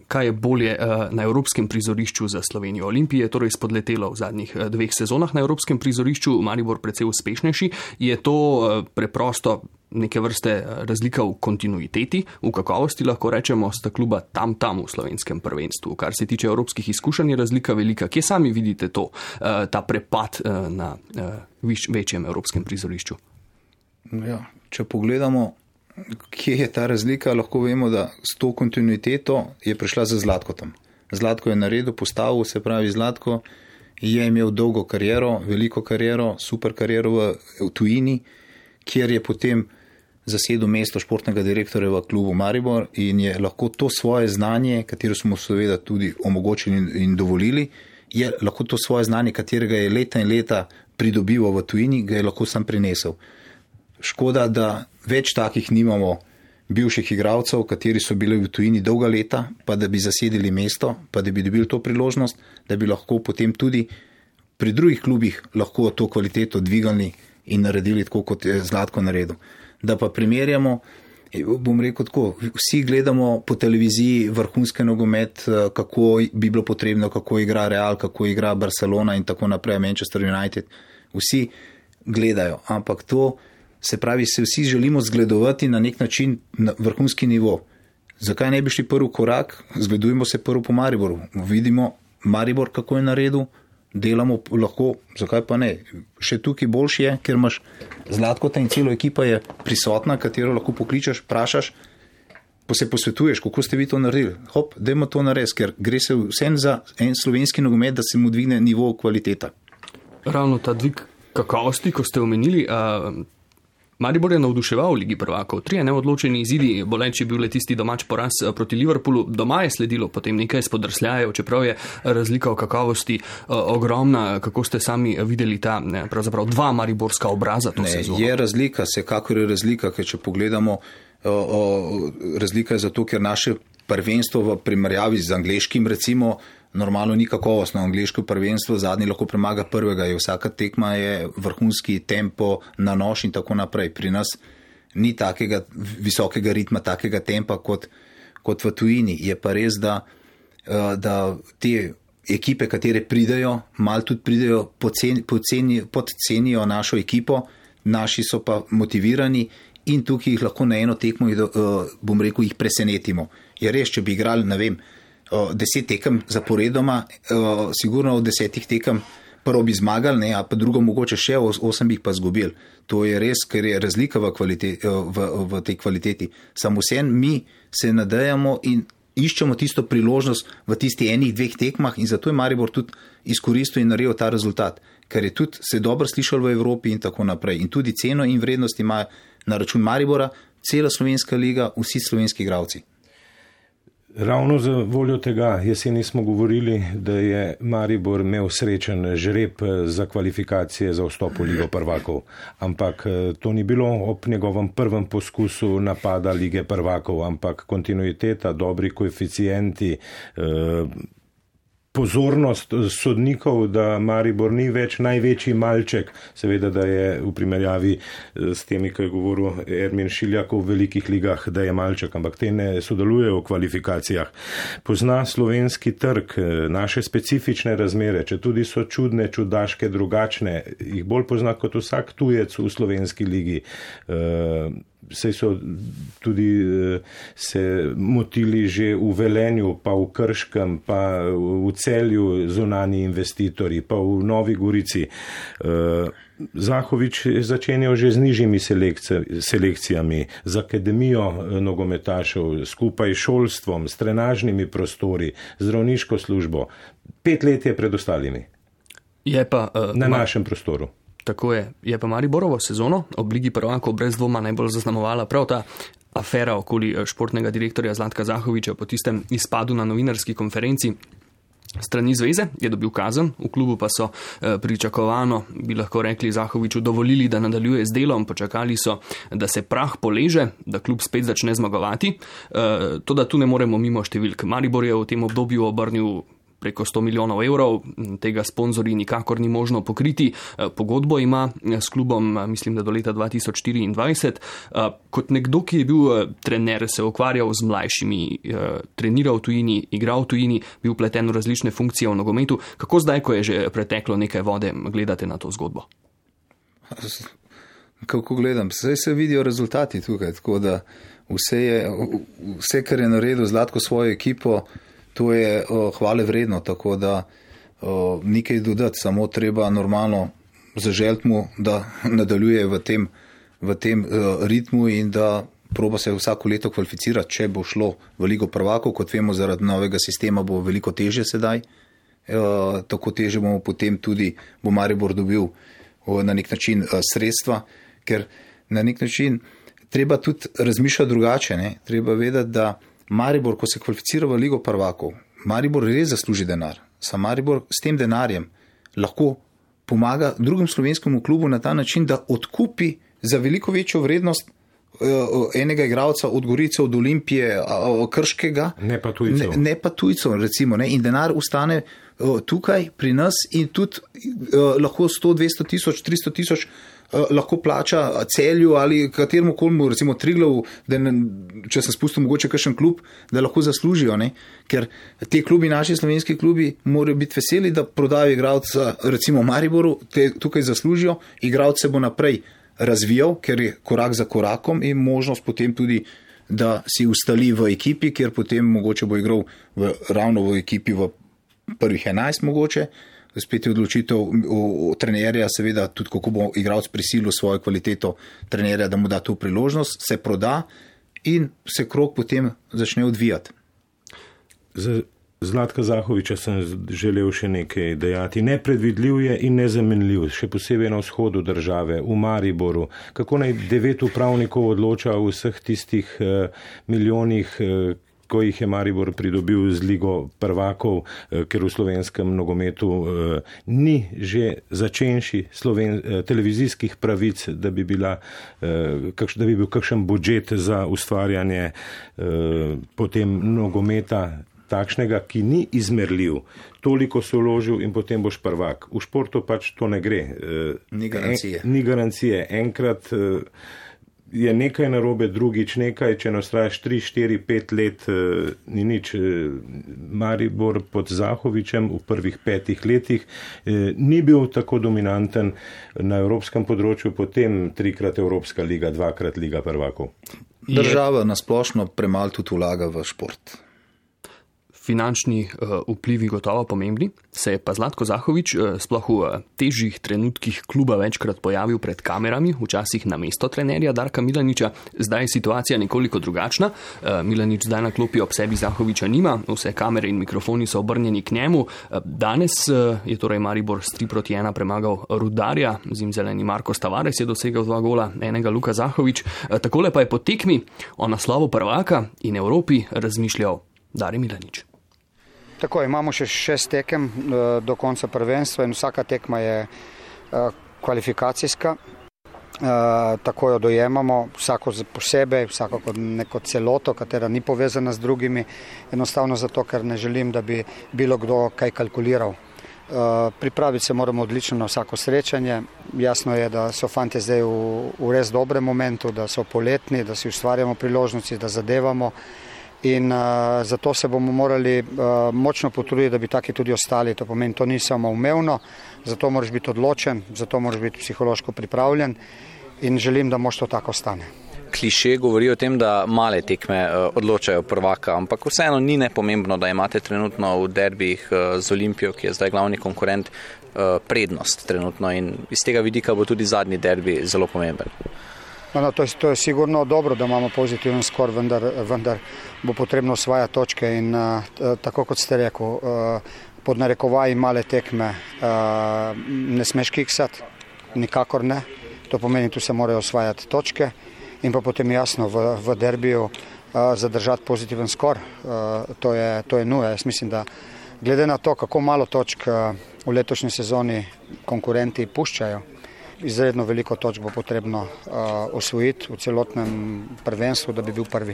kaj je bolje na evropskem prizorišču za Slovenijo? Olimpije je torej spodletelo v zadnjih 2 sezonah na evropskem prizorišču, Maribor precej uspešnejši. Je to preprosto neke vrste razlika v kontinuiteti, v kakovosti, lahko rečemo, sta kluba tam v slovenskem prvenstvu? Kar se tiče evropskih izkušenj, je razlika velika. Kje sami vidite to, ta prepad na večjem evropskem prizorišču? Ja, če pogledamo, kje je ta razlika, lahko vemo, da s to kontinuiteto je prišla za Zlatkotom. Zlatko je naredil, postavil, se pravi Zlatko je imel dolgo kariero, veliko kariero, super kariero v tujini, kjer je potem zasedel mesto športnega direktorja v klubu Maribor in je lahko to svoje znanje, katero smo seveda tudi omogočili in dovolili, je lahko to svoje znanje, katerega je leta in leta pridobival v tujini, ga je lahko sam prinesel. Škoda, da več takih nimamo bivših igralcev, kateri so bili v tujini dolga leta, pa da bi zasedili mesto, pa da bi dobili to priložnost, da bi lahko potem tudi pri drugih klubih lahko to kvaliteto dvigali in naredili tako, kot je Zlatko naredil. Da pa primerjamo, Bom rekel tako, vsi gledamo po televiziji vrhunski nogomet, kako bi bilo potrebno, kako igra Real, kako igra Barcelona in tako naprej, Manchester United. Vsi gledajo, ampak to se pravi, se vsi želimo zgledovati na nek način na vrhunski nivo. Zakaj ne bi šli prvi korak? Zgledujemo se prvo po Mariboru. Vidimo Maribor, kako je naredil, delamo lahko, zakaj pa ne. Še tukaj boljši je, ker imaš Zlatkota in celo ekipa je prisotna, katero lahko pokličeš, vprašaš, pa se posvetuješ, kako ste vi to naredili. Hop, dajmo to narediti, ker gre se vsem za en slovenski nogomet, da se mu dvigne nivo kvaliteta. Ravno ta dvig kakovosti, ko ste omenili, Maribor je navduševal v Ligi prvakov. 3 neodločeni izidi, boleč je bil le tisti domač poraz proti Liverpoolu. Doma je sledilo potem nekaj spodrsljajev, čeprav je razlika v kakovosti ogromna. Kako ste sami videli ta pravzaprav 2 mariborska obraza to sezono? Je razlika, vsekakor je razlika, ker če pogledamo, razlika je zato, ker naše prvenstvo v primerjavi z angleškim recimo normalno ni kakovostno. Angleško prvenstvo zadnji lahko premaga prvega, je vsaka tekma je vrhunski tempo na nož in tako naprej. Pri nas ni takega visokega ritma, takega tempa kot v tujini. Je pa res, da te ekipe, katere pridejo, malo tudi pridejo, podcenijo našo ekipo, naši so pa motivirani in tukaj jih lahko na eno tekmo, bom rekel, jih presenetimo. Je res, če bi igrali, ne vem, 10 tekem zaporedoma, sigurno od 10 tekem prvo bi zmagali, ne, a pa drugo mogoče še 8 bi jih pa zgubili. To je res, ker je razlika v tej kvaliteti. Samo vsem mi se nadejamo in iščemo tisto priložnost v tisti 1-2 tekmah in zato je Maribor tudi izkoristil in naredil ta rezultat, ker je tudi se dobro slišal v Evropi in tako naprej. In tudi ceno in vrednost ima na račun Maribora cela slovenska liga, vsi slovenski igralci. Ravno za voljo tega jeseni smo govorili, da je Maribor imel srečen žreb za kvalifikacije za vstop v Ligo prvakov, ampak to ni bilo ob njegovem prvem poskusu napada Lige prvakov, ampak kontinuiteta, dobri koeficienti, pozornost sodnikov, da Maribor ni več največji malček, seveda, da je v primerjavi s temi, ko je govoril Ermin Šiljak v velikih ligah, da je malček, ampak te ne sodelujejo v kvalifikacijah. Pozna slovenski trg, naše specifične razmere, če tudi so čudne, čudaške, drugačne, jih bolj pozna kot vsak tujec v slovenski ligi. Sej so tudi se motili že v Velenju, pa v Krškem, pa v Celju zunani investitorji, pa v Novi Gorici. Zahovič je začenjal že z nižjimi selekcijami, z akademijo nogometašev, skupaj s šolstvom, s trenažnimi prostori, zdravniško službo. 5 let je pred ostalimi. Je pa, na našem prostoru. Tako je. Je pa Mariborovo sezono ob Ligi prvakov brez dvoma najbolj zaznamovala prav ta afera okoli športnega direktorja Zlatka Zahoviča po tistem izpadu na novinarski konferenci. Strani zveze je dobil kazen, v klubu pa so pričakovano, bi lahko rekli, Zahoviču dovolili, da nadaljuje z delom, počakali so, da se prah poleže, da klub spet začne zmagovati. To, da tu ne moremo mimo številk. Maribor je v tem obdobju obrnil preko 100 milijonov evrov, tega sponzorji nikakor ni možno pokriti. Pogodbo ima s klubom, mislim, da do leta 2024. Kot nekdo, ki je bil trener, se ukvarjal z mlajšimi, treniral v tujini, igral v tujini, bil pleten v različne funkcije v nogometu. Kako zdaj, ko je že preteklo nekaj vode, gledate na to zgodbo? Kako gledam? Zdaj se vidijo rezultati tukaj, tako da vse, kar je naredil Zlatko svojo ekipo, to je hvale vredno, tako da nekaj dodati, samo treba normalno zaželiti mu, da nadaljuje v tem ritmu in da proba se vsako leto kvalificirati, če bo šlo v Ligo prvakov, kot vemo, zaradi novega sistema bo veliko težje sedaj, tako težje bomo potem tudi, bo Maribor dobil na nek način sredstva, ker na nek način treba tudi razmišljati drugače, ne? Treba vedeti, da Maribor, ko se kvalificira v Ligo prvakov, Maribor res zasluži denar. Sam Maribor s tem denarjem lahko pomaga drugim slovenskemu klubu na ta način, da odkupi za veliko večjo vrednost enega igralca od Gorice, od Olimpije, Krškega. Ne pa tujcev. Ne pa tujcev, recimo. Ne? In denar ustane tukaj pri nas in tudi lahko 100, 200 tisoč, 300 tisoč lahko plača Celju ali kateremu kolmu, recimo Triglavu, če se spustim mogoče kakšen klub, da lahko zaslužijo, ne? Ker te klubi, naši slovenski klubi, morajo biti veseli, da prodajo igralca, recimo Mariboru, tukaj zaslužijo, igralec se bo naprej razvijal, ker je korak za korakom in možnost potem tudi, da si ustali v ekipi, kjer potem mogoče bo igral ravno v ekipi v prvih 11 mogoče. Spet je odločitev trenerja, seveda tudi kako bo igralec prisilil svojo kvaliteto trenerja, da mu da to priložnost, se proda in se krog potem začne odvijati. Za Zlatka Zahoviča sem želel še nekaj dejati. Nepredvidljiv je in nezamenljiv, še posebej na vzhodu države, v Mariboru. Kako naj 9 upravnikov odloča o vseh tistih milijonih, ko jih je Maribor pridobil z Ligo prvakov, ker v slovenskem nogometu ni že začenši televizijskih pravic, da bi bil kakšen budžet za ustvarjanje potem nogometa takšnega, ki ni izmerljiv. Toliko se vložil in potem boš prvak. V športu pač to ne gre. Ni garancije. Ni garancije. Enkrat je nekaj narobe, drugič nekaj, če nastrajaš 3, 4, 5 let, ni nič. Maribor pod Zahovičem v prvih 5 letih ni bil tako dominanten na evropskem področju, potem 3-krat Evropska liga, 2-krat Liga prvakov. Država nasplošno premalo tudi vlaga v šport. Finančni vplivi gotovo pomembni, se je pa Zlatko Zahovič sploh v težjih trenutkih kluba večkrat pojavil pred kamerami, včasih na mesto trenerja Darka Milaniča. Zdaj je situacija nekoliko drugačna. Milanič zdaj na klopi ob sebi Zahoviča nima, vse kamere in mikrofoni so obrnjeni k njemu. Danes je torej Maribor s 3-1 premagal Rudarja, zimzeleni Marko Tavares je dosegel 2 gola, enega Luka Zahovič. Takole pa je po tekmi o naslovu prvaka in Evropi razmišljal Dare Milanič. Tako, imamo še 6 tekem do konca prvenstva in vsaka tekma je kvalifikacijska. Tako jo dojemamo, vsako posebej, vsako kot neko celoto, katera ni povezana z drugimi, enostavno zato, ker ne želim, da bi bilo kdo kaj kalkuliral. Pripraviti se moramo odlično na vsako srečanje. Jasno je, da so fantje zdaj v res dobrem momentu, da so poletni, da si ustvarjamo priložnosti, da zadevamo. In zato se bomo morali močno potruditi, da bi taki tudi ostali. To pomeni, to ni samo umevno, zato moraš biti odločen, zato moraš biti psihološko pripravljen in želim, da mož to tako stane. Kliše govori o tem, da male tekme odločajo prvaka, ampak vseeno ni nepomembno, da imate trenutno v derbijih z Olimpijo, ki je zdaj glavni konkurent, prednost trenutno in iz tega vidika bo tudi zadnji derbi zelo pomemben. No, to je sigurno dobro, da imamo pozitiven skor, vendar bo potrebno osvajati točke in tako kot ste rekel, pod narekovaji male tekme ne smeš kiksati, nikakor ne. To pomeni, tu se morajo osvajati točke in pa potem jasno v derbiju zadržati pozitiven skor. To je nuja. Jaz mislim, da glede na to, kako malo točk v letošnji sezoni konkurenti puščajo, izredno veliko točk bo potrebno osvojiti v celotnem prvenstvu, da bi bil prvi.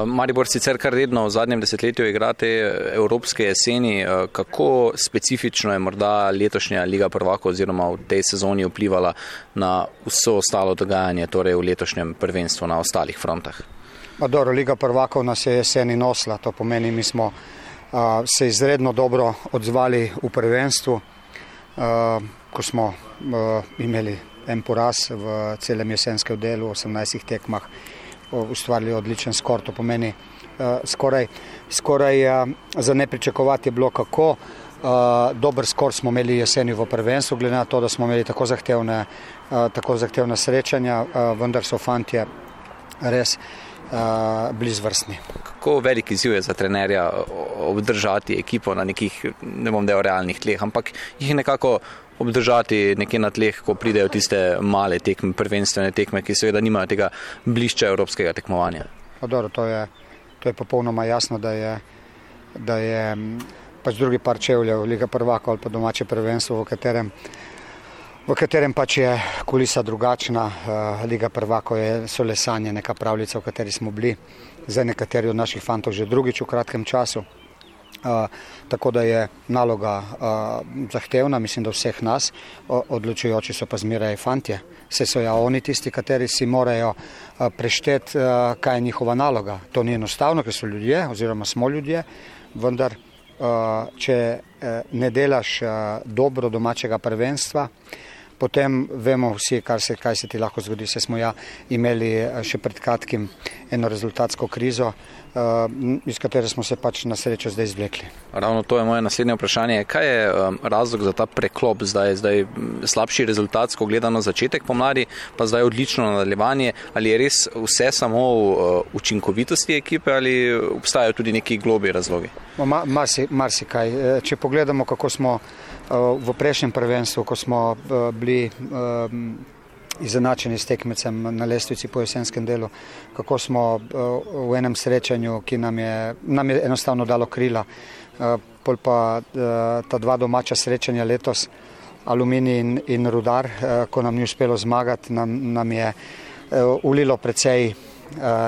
Maribor sicer kar redno v zadnjem desetletju igrate evropske jeseni. Kako specifično je morda letošnja Liga prvakov oziroma v tej sezoni vplivala na vso ostalo dogajanje, torej v letošnjem prvenstvu na ostalih frontah? Dobro, Liga prvakov nas je jeseni nosila, to pomeni, mi smo se izredno dobro odzvali v prvenstvu, ko smo imeli en poraz v celem jesenskem delu, 18 tekmah, ustvarili odličen skor. To pomeni, skoraj za ne pričakovati je bilo, kako dober skor smo imeli jeseni v prvenstvu, glede na to, da smo imeli tako zahtevna srečanja, vendar so fantje res blizvrstni. Kako velik izziv je za trenerja obdržati ekipo na nekih, ne bom del realnih tleh, ampak jih nekako obdržati nekje na tleh, ko pridejo tiste male tekme, prvenstvene tekme, ki seveda nimajo tega blišča evropskega tekmovanja? Dobro, to je popolnoma jasno, da je pač drugi par čevljev, Liga prvakov ali pa domače prvenstvo, v katerem pač je kulisa drugačna. Liga prvakov so le sanje, neka pravljica, v kateri smo bili. Zdaj nekateri od naših fantov že drugič v kratkem času. Tako da je naloga zahtevna, mislim, da vseh nas, odločujoči so pa zmeraj fantje. Vse so oni tisti, kateri si morajo prešteti, kaj je njihova naloga. To ni enostavno, ker so ljudje oziroma smo ljudje, vendar če ne delaš dobro domačega prvenstva, potem vemo vsi, kaj se ti lahko zgodi. Se smo imeli še pred kratkim eno rezultatsko krizo, iz katere smo se pač na srečo zdaj izvlekli. Ravno to je moje naslednje vprašanje. Kaj je razlog za ta preklop zdaj slabši rezultatsko gledano začetek pomladi, pa zdaj odlično nadaljevanje? Ali je res vse samo v učinkovitosti ekipe ali obstajajo tudi neki globlji razlogi? Marsikaj. Če pogledamo, kako smo v prejšnjem prvenstvu, ko smo bili izenačeni s tekmecem na lestvici po jesenskem delu, kako smo v enem srečanju, ki nam je enostavno dalo krila, pol pa ta dva domača srečanja letos, Aluminij in Rudar, ko nam ni uspelo zmagati, nam je ulilo precej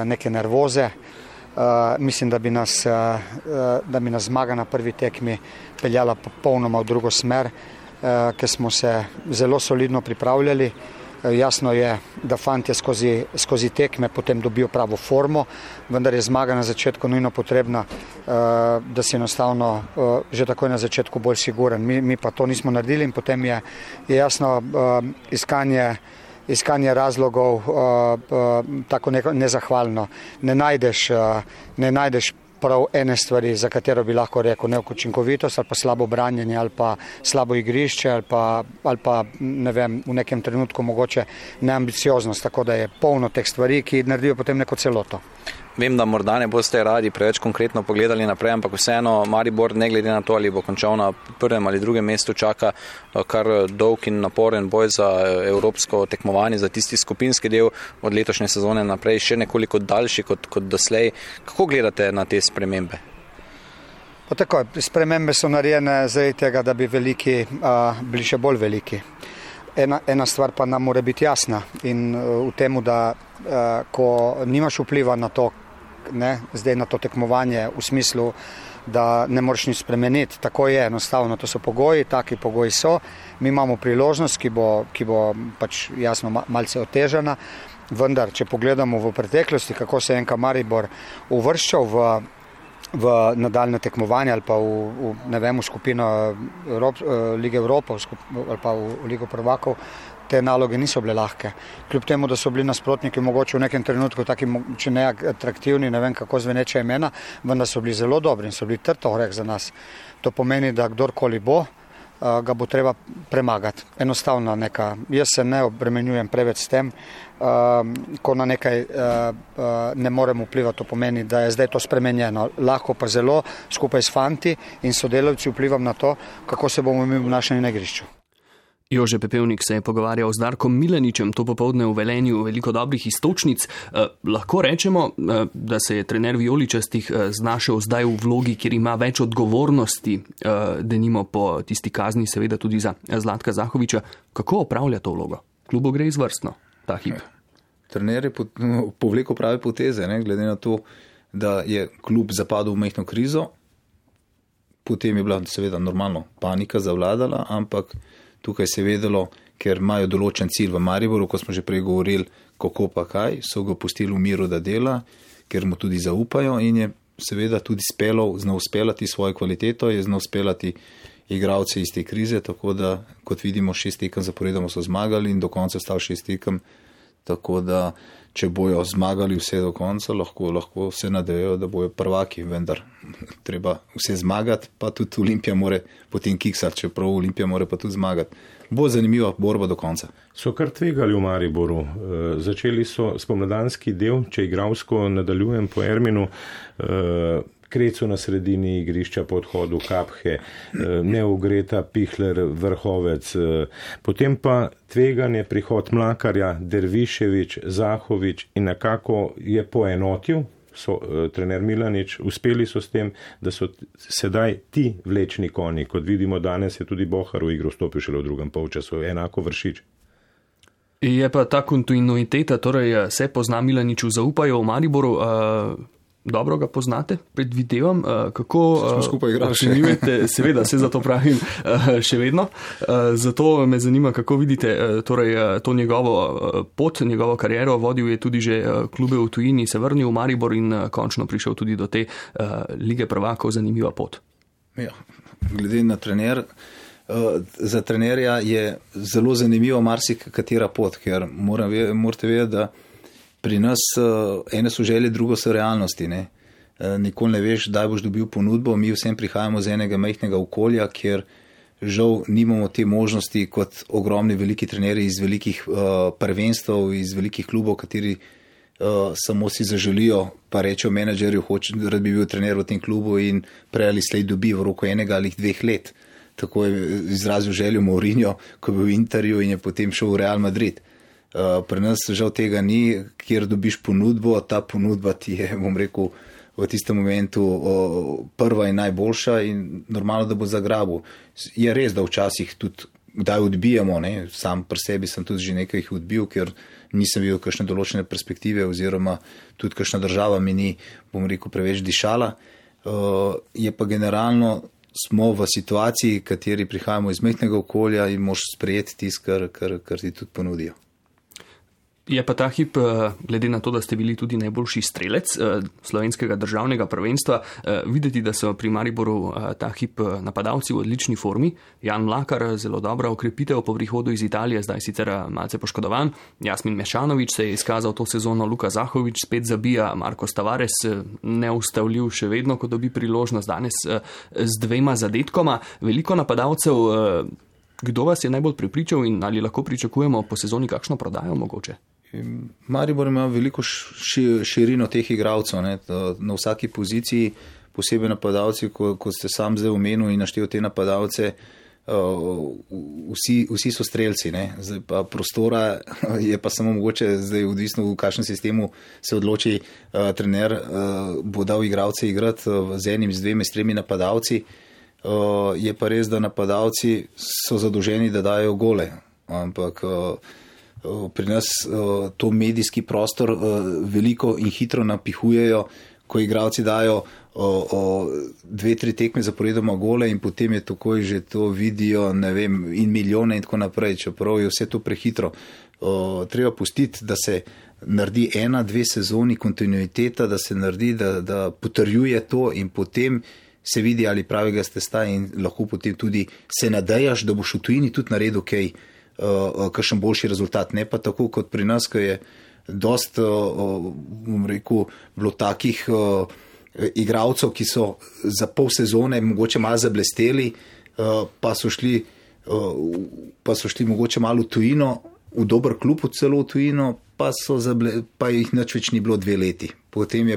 neke nervoze. Mislim, da bi nas zmaga na prvi tekmi peljala popolnoma v drugo smer, ker smo se zelo solidno pripravljali. Jasno je, da fantje skozi tekme potem dobijo pravo formo, vendar je zmaga na začetku nujno potrebna, da si enostavno že takoj na začetku bolj siguren. Mi pa to nismo naredili in potem je jasno iskanje razlogov tako nezahvalno. Ne najdeš prav ene stvari, za katero bi lahko rekel neučinkovitost ali pa slabo branjenje ali pa slabo igrišče ali pa ne vem, v nekem trenutku mogoče neambicioznost, tako da je polno teh stvari, ki naredijo potem neko celoto. Vem, da morda ne boste radi preveč konkretno pogledali naprej, ampak vseeno Maribor, ne glede na to, ali bo končal na prvem ali drugem mestu, čaka kar dolg in naporen boj za evropsko tekmovanje, za tisti skupinski del od letošnje sezone naprej, še nekoliko daljši kot doslej. Kako gledate na te spremembe? Pa tako, spremembe so narejene zaradi tega, da bi veliki bili še bolj veliki. Ena stvar pa nam mora biti jasna in v temu, da ko nimaš vpliva na to, zdaj na to tekmovanje v smislu, da ne moreš nič spremeniti, tako je enostavno, to so pogoji, taki pogoji so, mi imamo priložnost, ki bo pač jasno malce otežena, vendar, če pogledamo v preteklosti, kako se je NK Maribor uvrščal v nadaljne tekmovanje ali pa v skupino Lige Evropa ali pa v Ligo prvakov, te naloge niso bile lahke. Kljub temu, da so bili nasprotniki mogoče v nekem trenutku taki, če ne atraktivni, ne vem kako zveneče imena, vendar so bili zelo dobri in so bili trd oreh za nas. To pomeni, da kdorkoli bo, ga bo treba premagati. Enostavno neka. Jaz se ne obremenjujem preveč s tem, ko na nekaj ne morem vplivati, to pomeni, da je zdaj to spremenjeno. Lahko pa zelo skupaj s fanti in sodelavci vplivam na to, kako se bomo mi obnašali na igrišču. Jože Pepevnik se je pogovarjal z Darkom Milaničem to popoldne v Velenju, veliko dobrih iztočnic. Lahko rečemo, da se je trener vijoličastih znašel zdaj v vlogi, kjer ima več odgovornosti, denimo po tisti kazni, seveda tudi za Zlatka Zahoviča. Kako opravlja to vlogo? Klubu gre izvrstno, ta hip. Trener je povlekel prave poteze, glede na to, da je klub zapadel v majhno krizo. Potem je bila seveda normalno panika zavladala, ampak tukaj se je vedelo, ker imajo določen cilj v Mariboru, ko smo že prej govorili, kako pa kaj, so ga pustili v miru, da dela, ker mu tudi zaupajo in je seveda tudi znal speljati svojo kvaliteto, je znal speljati igralce iz te krize, tako da, kot vidimo, 6 tekem zaporedoma so zmagali in do konca stal 6 tekem, tako da, če bojo zmagali vse do konca, lahko se nadejo, da bojo prvaki, vendar treba vse zmagati, pa tudi Olimpija more potem kiksati, čeprav Olimpija more pa tudi zmagati. Bo zanimiva borba do konca. So kar tvegali v Mariboru. Začeli so spomladanski del, če igralsko nadaljujem po Erminu, Krecu na sredini igrišča po odhodu Kaphe, Neogreta, Pihler, Vrhovec, potem pa tveganje prihod Mlakarja, Derviševič, Zahovič in nekako je poenotil trener Milanič, uspeli so s tem, da so sedaj ti vlečni konji, kot vidimo danes je tudi Bohar v igro vstopil šele v drugem polčasu, enako Vršič. Je pa ta kontinuiteta, torej se pozna Milaniču, zaupajo v Mariboru, dobro ga poznate, predvidevam, kako ocenjujete, seveda, se zato pravim še vedno. Zato me zanima, kako vidite torej, to njegovo pot, njegovo kariero. Vodil je tudi že klube v tujini, se vrnil v Maribor in končno prišel tudi do te lige prvakov. Zanimiva pot. Ja, glede na trener, za trenerja je zelo zanimivo marsikatera pot, ker morate vedeti, da pri nas ene so želje, drugo so realnosti. Ne? Nikoli ne veš, kdaj boš dobil ponudbo. Mi vsem prihajamo z enega majhnega okolja, kjer žal nimamo te možnosti kot ogromni veliki trenerji iz velikih prvenstv, iz velikih klubov, kateri samo si zaželijo, pa rečejo menedžerju, rad bi bil trener v tem klubu in prej ali slej dobi v roku 1 ali 2 let. Tako je izrazil željo Mourinho, ko je bil v Interju in je potem šel v Real Madrid. Pri nas žal tega ni, kjer dobiš ponudbo, ta ponudba ti je, bom rekel, v tistem momentu prva in najboljša in normalno, da bo zagrabil. Je res, da včasih tudi kdaj odbijamo, ne? Sam pri sebi sem tudi že nekaj jih odbil, ker nisem videl kakšne določene perspektive oziroma tudi kakšna država mi ni, bom rekel, preveč dišala. Je pa generalno smo v situaciji, kateri prihajamo iz majhnega okolja in moš sprejeti tisto, kar ti tudi ponudijo. Je pa ta hip, glede na to, da ste bili tudi najboljši strelec slovenskega državnega prvenstva, videti, da so pri Mariboru ta hip napadalci v odlični formi. Jan Mlakar, zelo dobra okrepitev po prihodu iz Italije, zdaj sicer malce poškodovan. Jasmin Mešanović se je izkazal to sezono, Luka Zahović spet zabija, Marcos Tavares neustavljiv še vedno, ko dobi priložnost danes z 2 zadetkoma. Veliko napadalcev, kdo vas je najbolj prepričal in ali lahko pričakujemo po sezoni kakšno prodajo mogoče? Maribor ima veliko širino teh igralcev, ne? Na vsaki poziciji, posebej napadalci, ko ste sam zdaj omenil in naštel te napadalce, vsi so strelci, ne? Zdaj pa prostora je pa samo mogoče, zdaj odvisno v kakšnem sistemu se odloči trener, bo dal igralce igrati z enim, z 2, s 3 napadalci. Je pa res, da napadalci so zadolženi, da dajo gole, ampak pri nas to medijski prostor veliko in hitro napihujejo, ko igralci dajo 2-3 tekme zaporedoma gole in potem je takoj že to vidijo, ne vem, in milijone in tako naprej, čeprav je vse to prehitro. Treba pustiti, da se naredi 1-2 sezoni kontinuiteta, da se naredi, da potrjuje to in potem se vidi, ali pravega ste sta in lahko potem tudi se nadejaš, da boš v tujini tudi naredil kakšen boljši rezultat. Ne pa tako kot pri nas, ko je dost, bom rekel, bilo takih igralcev, ki so za pol sezone mogoče malo zablesteli, pa so šli mogoče malo v tujino, v dober klub, celo v tujino, pa jih nič več ni bilo 2 leti. Potem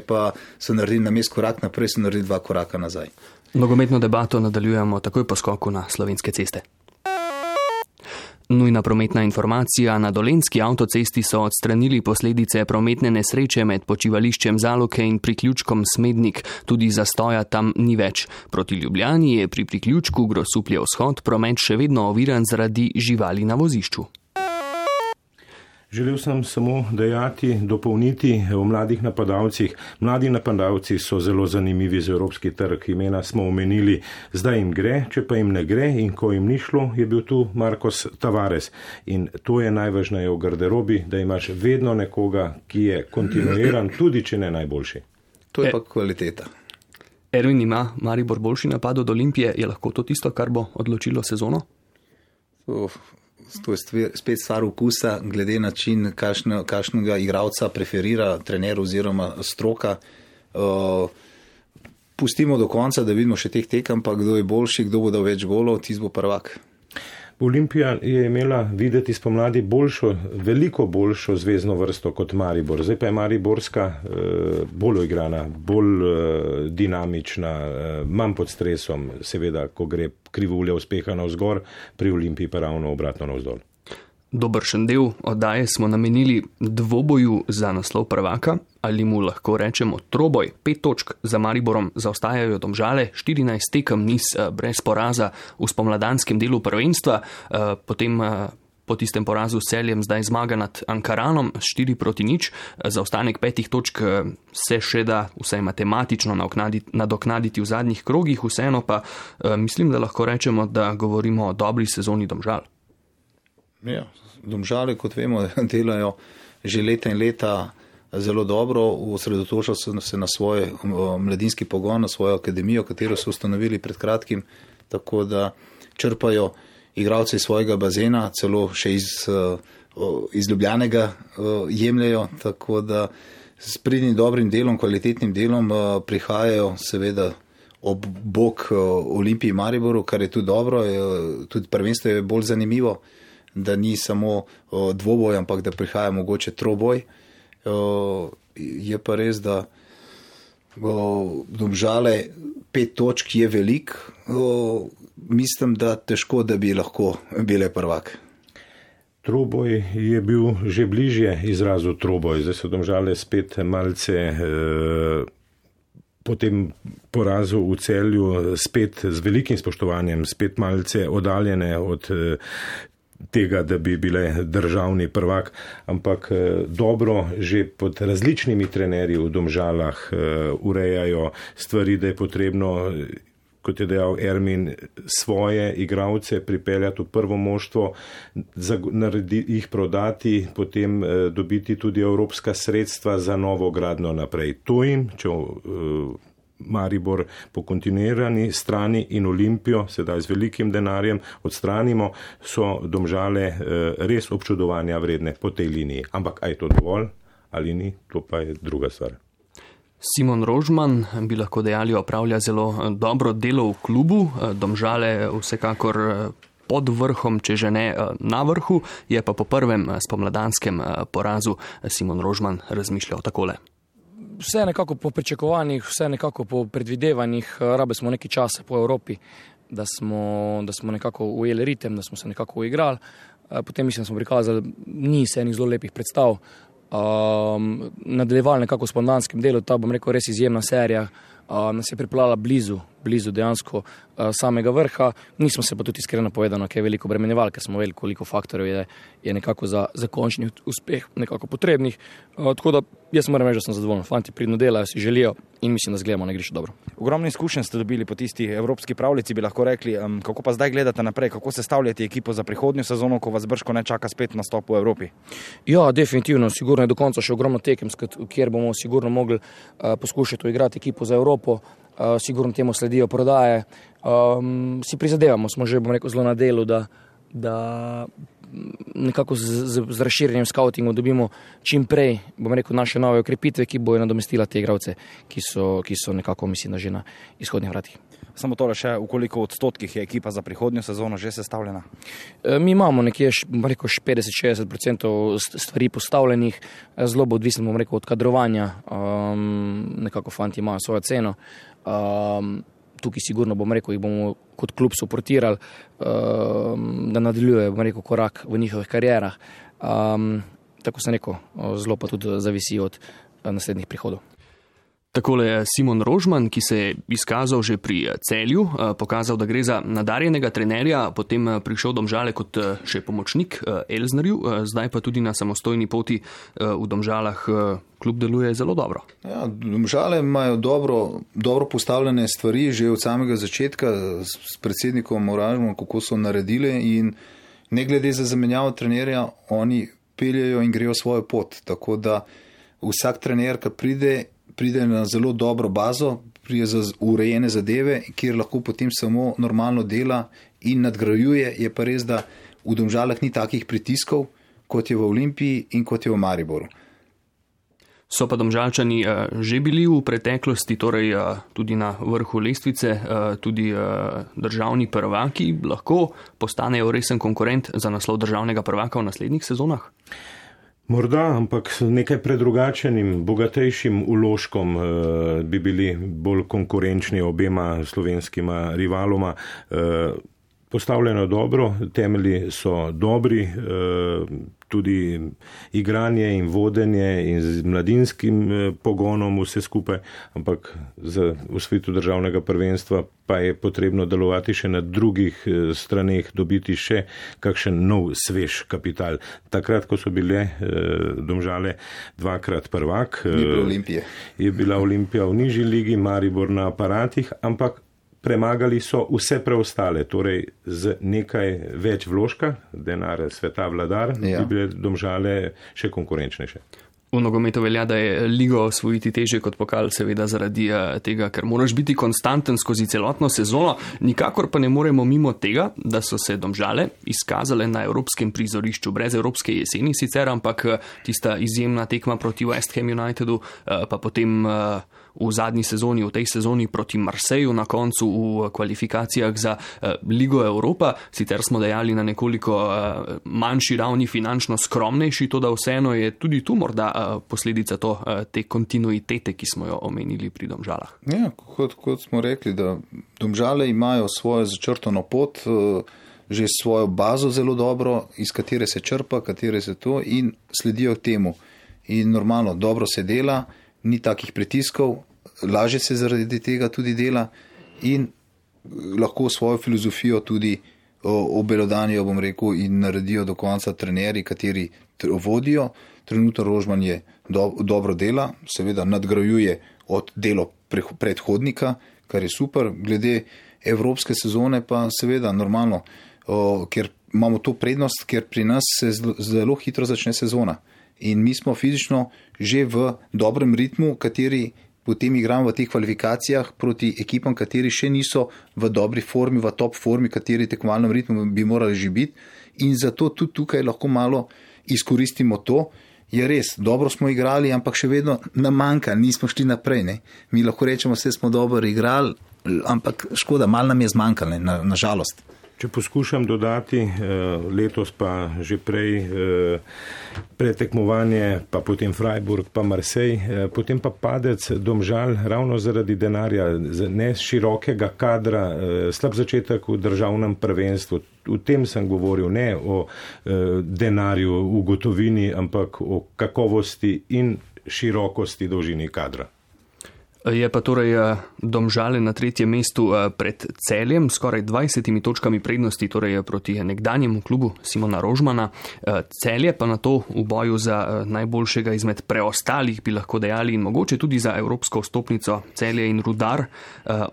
so naredili namesto korak naprej, so naredili 2 koraka nazaj. Nogometno debato nadaljujemo takoj po skoku na Slovenske ceste. Nujna prometna informacija. Na Dolenjski avtocesti so odstranili posledice prometne nesreče med počivališčem Zaloke in priključkom Smednik. Tudi zastoja tam ni več. Proti Ljubljani je pri priključku Grosuplje vzhod promet še vedno oviran zaradi živali na vozišču. Želel sem samo dopolniti o mladih napadalcih. Mladi napadalci so zelo zanimivi za evropski trg. Imena smo omenili, zdaj jim gre, če pa jim ne gre in ko jim ni šlo, je bil tu Marcos Tavares. In to je najvažneje v garderobi, da imaš vedno nekoga, ki je kontinuiran, tudi če ne najboljši. To je pa kvaliteta. Ervin, ima Maribor boljši napad od Olimpije? Je lahko to tisto, kar bo odločilo sezono? To je spet stvar okusa, glede način, kakšnega igralca preferira trener oziroma stroka. Pustimo do konca, da vidimo še teh tekem, pa kdo je boljši, kdo bo dal več golov, tisti bo prvak. Olimpija je imela videti spomladi veliko boljšo zvezno vrsto kot Maribor. Zdaj pa je Mariborska bolj igrana, bolj dinamična, manj pod stresom, seveda, ko gre krivulja uspeha navzgor, pri Olimpiji pa ravno obratno navzdol. Dobršen del oddaje smo namenili dvoboju za naslov prvaka, ali mu lahko rečemo troboj. 5 točk za Mariborom zaostajajo Domžale, 14 tekem niz brez poraza v spomladanskem delu prvenstva, potem po tistem porazu s Celjem zdaj zmaga nad Ankaranom 4-0, zaostanek 5 točk se še da vsaj matematično nadoknaditi v zadnjih krogih, vseeno pa mislim, da lahko rečemo, da govorimo o dobri sezoni Domžal. Ja, Domžale, kot vemo, delajo že leta in leta zelo dobro, osredotočajo se na svoj mladinski pogon, na svojo akademijo, katero so ustanovili pred kratkim, tako da črpajo igralce iz svojega bazena, celo še iz Ljubljanega jemljajo, tako da s pridnim dobrim delom, kvalitetnim delom prihajajo seveda ob bok Olimpiji Mariboru, kar je tudi dobro, tudi prvenstvo je bolj zanimivo, da ni samo dvoboj, ampak da prihaja mogoče troboj. Je pa res, da Domžale 5 točk je velik, mislim, da težko, da bi lahko bile prvak. Troboj je bil že bližje izrazu troboj, zdaj so Domžale spet malce po tem porazu v Celju spet z velikim spoštovanjem, spet malce oddaljene od tega, da bi bile državni prvak, ampak dobro že pod različnimi trenerji v Domžalah urejajo stvari, da je potrebno, kot je dejal Ermin, svoje igralce pripeljati v prvo moštvo, jih prodati, potem dobiti tudi evropska sredstva za novo gradno naprej. To jim, če Maribor po kontinuirani strani in Olimpijo, sedaj z velikim denarjem, odstranimo, so Domžale res občudovanja vredne po tej liniji. Ampak aj to dovolj ali ni, to pa je druga stvar. Simon Rožman, bi lahko dejali, opravlja zelo dobro delo v klubu, Domžale vsekakor pod vrhom, če že ne na vrhu, je pa po prvem spomladanskem porazu Simon Rožman razmišljal takole. Vse nekako po pričakovanjih, vse nekako po predvidevanjih, rabe smo nekaj časa po Evropi, da smo nekako ujeli ritem, da smo se nekako uigrali. Potem mislim, da smo prikazali niz enih zelo lepih predstav. Nadaljevali nekako s spomladanskim delom, ta bom rekel res izjemna serija, nas je pripeljala blizu dejansko samega vrha. Nismo se pa tudi iskreno povedano, kaj je veliko bremenjeval, ker smo vedeli, koliko faktorjev je nekako za končni uspeh nekako potrebnih. Tako da jaz moram reči, da sem zadovoljen. Fanti pridno delajo, si želijo in mislim, da zgledamo na igrišču dobro. Ogromno izkušenj ste dobili po tisti evropski pravljici, bi lahko rekli. Kako pa zdaj gledate naprej, kako sestavljate ekipo za prihodnjo sezono, ko vas brško ne čaka spet nastop v Evropi? Ja, definitivno, sigurno je do konca še ogromno tekem, kjer bomo sigurno mogli poskušati uigrati ekipo za Evropo. Sigurno temu sledijo prodaje. Si prizadevamo, smo že, bom rekel, zelo na delu, da nekako z razširjenjem skautingov dobimo čim prej, bom rekel, naše nove okrepitve, ki bojo nadomestila te igralce, ki so nekako, mislim, da že na izhodnih vratih. Samo tole še, v koliko odstotkih je ekipa za prihodnjo sezono že sestavljena? Mi imamo nekje, bom rekel, 50-60% stvari postavljenih, zelo bo odvisno, bom rekel, od kadrovanja, nekako fanti imajo svojo ceno. Tukaj sigurno, bom rekel, jih bomo kot klub suportirali, da nadaljuje, bom rekel, korak v njihovih karierah. Tako sem rekel, zelo pa tudi zavisi od naslednjih prihodov. Takole je Simon Rožman, ki se je izkazal že pri Celju, pokazal, da gre za nadarjenega trenerja, potem prišel Domžale kot še pomočnik Elznerju, zdaj pa tudi na samostojni poti v Domžalah klub deluje zelo dobro. Ja, Domžale imajo dobro postavljene stvari že od samega začetka s predsednikom Moražom, kako so naredili in ne glede za zamenjavo trenerja, oni peljejo in grejo svojo pot, tako da vsak trener, ki pride na zelo dobro bazo, pride za urejene zadeve, kjer lahko potem samo normalno dela in nadgrajuje. Je pa res, da v Domžalah ni takih pritiskov, kot je v Olimpiji in kot je v Mariboru. So pa Domžalčani že bili v preteklosti, torej tudi na vrhu lestvice, tudi državni prvaki, lahko postanejo resen konkurent za naslov državnega prvaka v naslednjih sezonah? Morda, ampak s nekaj predrugačenim, bogatejšim vložkom bi bili bolj konkurenčni obema slovenskima rivaloma. postavljeno dobro, temelji so dobri, tudi igranje in vodenje in z mladinskim pogonom vse skupaj, ampak za osvojitev državnega prvenstva pa je potrebno delovati še na drugih straneh, dobiti še kakšen nov svež kapital. Takrat, ko so bile Domžale dvakrat prvak, je bila Olimpija v nižji ligi, Maribor na aparatih, ampak premagali so vse preostale, torej z nekaj več vložka, denar sveta vladar, bi bile Domžale še konkurenčnejše. V nogometu velja, da je ligo osvojiti težje kot pokal, seveda zaradi tega, ker moraš biti konstanten skozi celotno sezono, nikakor pa ne moremo mimo tega, da so se Domžale izkazale na evropskem prizorišču, brez evropske jeseni sicer, ampak tista izjemna tekma proti West Ham Unitedu, pa potem v zadnji sezoni, v tej sezoni proti Marseju na koncu v kvalifikacijah za Ligo Evropa. Sicer smo dejali na nekoliko manjši ravni, finančno skromnejši, to da vseeno je tudi tu morda posledica te kontinuitete, ki smo jo omenili pri Domžalah. Ja, kot smo rekli, da Domžale imajo svojo začrtano pot, že svojo bazo zelo dobro, iz katere se črpa, katere se to in sledijo temu. In normalno, dobro se dela, ni takih pritiskov, lažje se zaradi tega tudi dela in lahko svojo filozofijo tudi obelodanijo, bom rekel, in naredijo do konca trenerji, kateri vodijo. Trenutno Rožman je dobro dela, seveda nadgrajuje od delo predhodnika, kar je super. Glede evropske sezone pa seveda normalno, ker imamo to prednost, ker pri nas se zelo hitro začne sezona. In mi smo fizično že v dobrem ritmu, kateri potem igramo v teh kvalifikacijah proti ekipam, kateri še niso v dobri formi, v top formi, kateri tekmovalnem ritmu bi morali že biti. In zato tudi tukaj lahko malo izkoristimo to. Je res, dobro smo igrali, ampak še vedno nam manjka, nismo šli naprej. Ne? Mi lahko rečemo, vse smo dobro igrali, ampak škoda, malo nam je zmanjkalo, na žalost. Če poskušam dodati, letos pa že prej pretekmovanje, pa potem Freiburg, pa Marseille, potem pa padec Domžal ravno zaradi denarja, ne širokega kadra, slab začetek v državnem prvenstvu. V tem sem govoril, ne o denarju v gotovini, ampak o kakovosti in širokosti dolžini kadra. Je pa torej Domžale na 3. mestu pred Celjem, skoraj 20 točkami prednosti, torej proti nekdanjemu klubu Simona Rožmana. Celje pa na to v boju za najboljšega izmed preostalih, bi lahko dejali, in mogoče tudi za evropsko vstopnico. Celje in Rudar,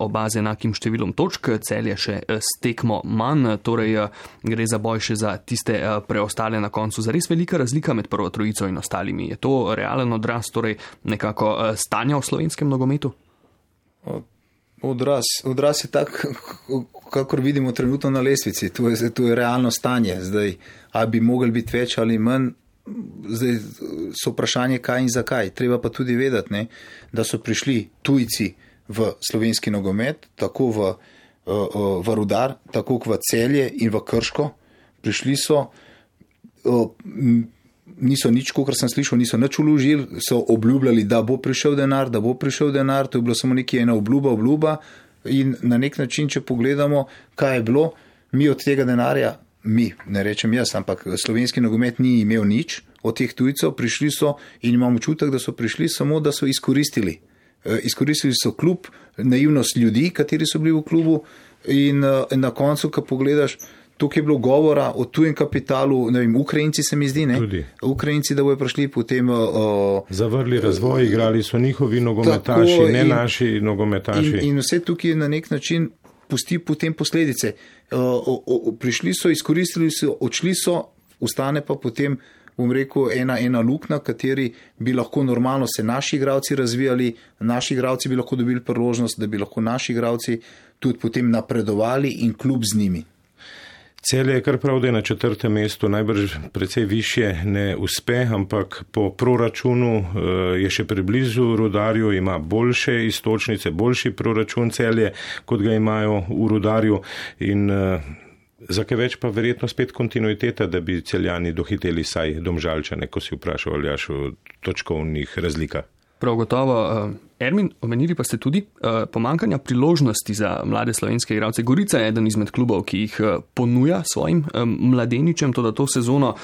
oba z enakim številom točk, Celje še s tekmo manj, torej gre za boj še za tiste preostale na koncu. Zares velika razlika med prvo trojico in ostalimi. Je to realen odraz, torej nekako stanja v slovenskem nogometu? Odraz je tak, kakor vidimo trenutno na lestvici. To je realno stanje. Zdaj, ali bi mogli biti več ali manj, zdaj so vprašanje kaj in zakaj. Treba pa tudi vedeti, ne, da so prišli tujci v slovenski nogomet, tako v Rudar, tako v Celje in v Krško. Prišli so, niso nič, kot sem slišal, niso nič vložili, so obljubljali, da bo prišel denar, to je bilo samo nekaj ena obljuba in na nek način, če pogledamo, kaj je bilo, mi od tega denarja, ne rečem jaz, ampak slovenski nogomet ni imel nič od teh tujcev, prišli so in imamo čutek, da so prišli samo, da so izkoristili. Izkoristili so klub, naivnost ljudi, kateri so bili v klubu in na koncu, ko pogledaš, tukaj je bilo govora o tujem kapitalu, ne vem, Ukrajinci se mi zdi, ne? Tudi. Ukrajinci, da bojo prišli potem... Zavrli razvoj, igrali so njihovi nogometaši, tako, ne naši nogometaši. In vse tukaj na nek način pusti potem posledice. Prišli so, izkoristili so, odšli so, ostane pa potem, bom rekel, ena luknja, kateri bi lahko normalno se naši igralci razvijali, naši igralci bi lahko dobili priložnost, da bi lahko naši igralci tudi potem napredovali in klub z njimi. Celje je kar prav, da je na 4. mestu, najbrž precej više ne uspe, ampak po proračunu je še preblizu Rudarju, ima boljše istočnice, boljši proračun Celje, kot ga imajo v Rudarju in za kaj več pa verjetno spet kontinuiteta, da bi Celjani dohiteli saj Domžalčane, ko si vprašal Aljaš o točkovnih razlikah. Prav gotovo, Ermin, omenili pa ste tudi pomankanja priložnosti za mlade slovenske igralce. Gorica je eden izmed klubov, ki jih ponuja svojim mladeničem, to da to sezono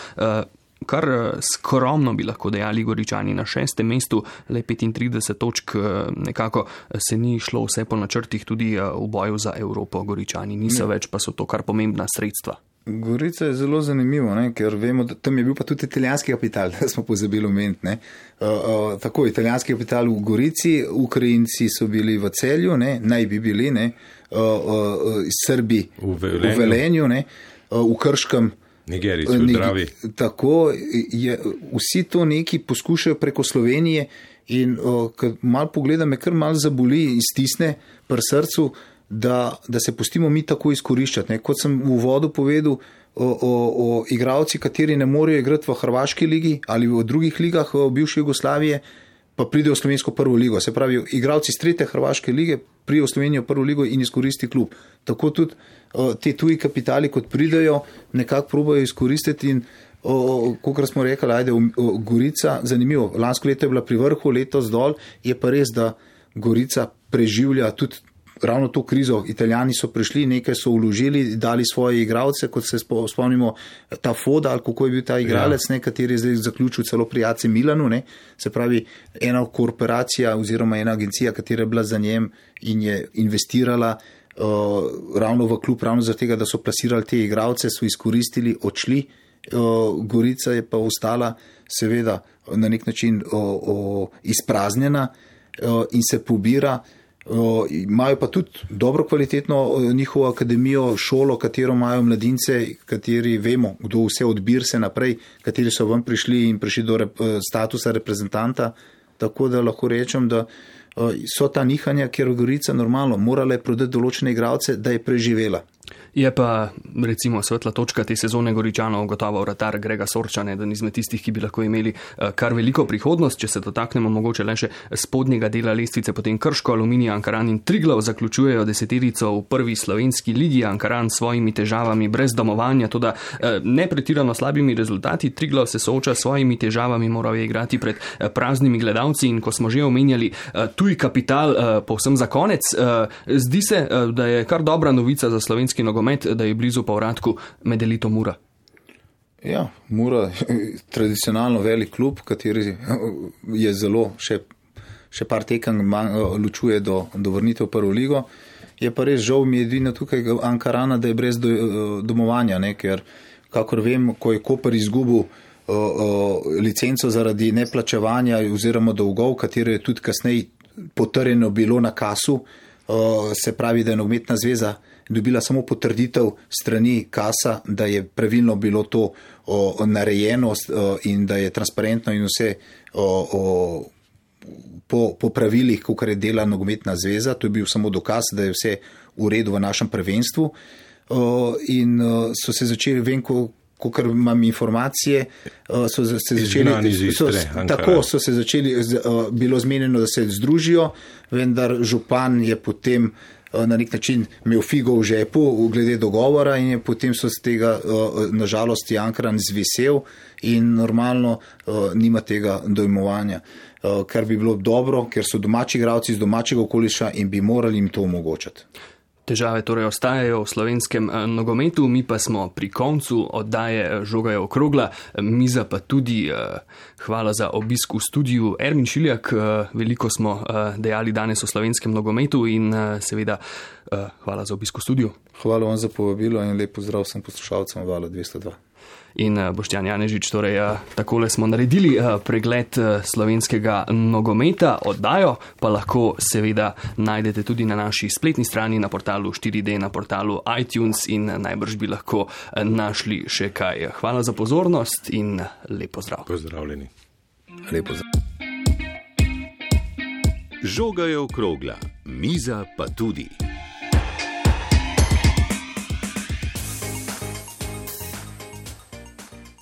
kar skromno bi lahko dejali Goričani na 6. mestu, le 35 točk, nekako se ni šlo vse po načrtih tudi v boju za Evropo. Goričani niso več, pa so to kar pomembna sredstva. Gorica je zelo zanimivo, ker vemo, da tam je bil pa tudi italijanski kapital, da smo pozabili omeniti. Tako, italijanski kapital v Gorici, Ukrajinci so bili v Celju, naj bi bili, Srbi v Velenju, v Krškem, Nigerijci v Dravi. Tako je, vsi to neki poskušajo preko Slovenije in ko malo pogledam, me kar malo zaboli in stisne pri srcu, da se pustimo mi tako izkoriščati. Kot sem v uvodu povedal, o igralci, kateri ne morejo igrati v Hrvaški ligi ali v drugih ligah v bivši Jugoslavije, pa pridejo v slovensko prvo ligo. Se pravi, igralci iz 3. Hrvaške lige pridejo v Slovenijo prvo ligo in izkoristi klub. Tako tudi te tuji kapitali, kot pridejo, nekako probajo izkoristiti in kot smo rekli, ajde, Gorica, zanimivo, lansko leto je bila pri vrhu, letos dol, je pa res, da Gorica preživlja tudi ravno to krizo. Italijani so prišli, nekaj so vložili, dali svoje igralce, kot se spomnimo ta Foda, ali kako je bil ta igralec, kateri je zdaj zaključil celo pri AC Milanu, se pravi, ena korporacija oziroma ena agencija, katera je bila za njem in je investirala ravno v klub, ravno zaradi tega, da so plasirali te igralce, so izkoristili, odšli. Gorica je pa ostala seveda na nek način izpraznjena in se pobira. Imajo pa tudi dobro kvalitetno njihovo akademijo, šolo, katero imajo mladince, kateri vemo, kdo vse odbir se naprej, kateri so ven prišli in prišli do statusa reprezentanta, tako da lahko rečem, da so ta nihanja, ker Gorica normalno morala je prodati določene igralce, da je preživela. Je pa recimo svetla točka te sezone Goričanov gotovo vratar Grega Sorčan, eden izmed tistih, ki bi lahko imeli kar veliko prihodnost. Če se dotaknemo mogoče le še spodnjega dela lestvice, potem Krško, Aluminij, Ankaran in Triglav zaključujejo deseterico v prvi slovenski ligi. Ankaran s svojimi težavami brez domovanja, toda ne pretirano slabimi rezultati. Triglav se sooča s svojimi težavami, moral je igrati pred praznimi gledalci in ko smo že omenjali tuj kapital, povsem za konec, zdi se, da je kar dobra novica za slovenski nogomet, da je blizu povratku med elito Mura. Ja, Mura je tradicionalno velik klub, kateri je zelo še par tekem ločuje do vrnitev v prvo ligo. Je pa res žal mi edino tukaj Ankarana, da je brez domovanja, ker kakor vem, ko je Koper izgubil licenco zaradi neplačevanja oziroma dolgov, katero je tudi kasneje potrjeno bilo na kasu, se pravi, da je nogometna zveza dobila samo potrditev strani kasa, da je pravilno bilo to narejeno in da je transparentno in vse po pravilih, kakor je dela nogometna zveza. To je bil samo dokaz, da je vse v redu v našem prvenstvu. In so se začeli, vem, kakor imam informacije, so se začeli, bilo zmenjeno, da se združijo, vendar župan je potem na nek način imel figo v žepu glede dogovora in je potem so z tega nažalost Ankaran zvisel in normalno nima tega dojmovanja, kar bi bilo dobro, ker so domači igralci iz domačega okoliša in bi morali jim to omogočati. Težave torej ostajajo v slovenskem nogometu, mi pa smo pri koncu oddaje Žoga je okrogla, miza pa tudi. Hvala za obisk v studiu. Ermin Šiljak, veliko smo dejali danes o slovenskem nogometu in seveda hvala za obisk v studiu. Hvala vam za povabilo in lep pozdrav vsem poslušalcem Vala 202. In Boštjan Janežič, torej takole smo naredili pregled slovenskega nogometa, oddajo pa lahko seveda najdete tudi na naši spletni strani, na portalu 4D, na portalu iTunes in najbrž bi lahko našli še kaj. Hvala za pozornost in lep pozdrav. Pozdravljeni. Lep pozdrav. Žoga je okrogla, miza pa tudi.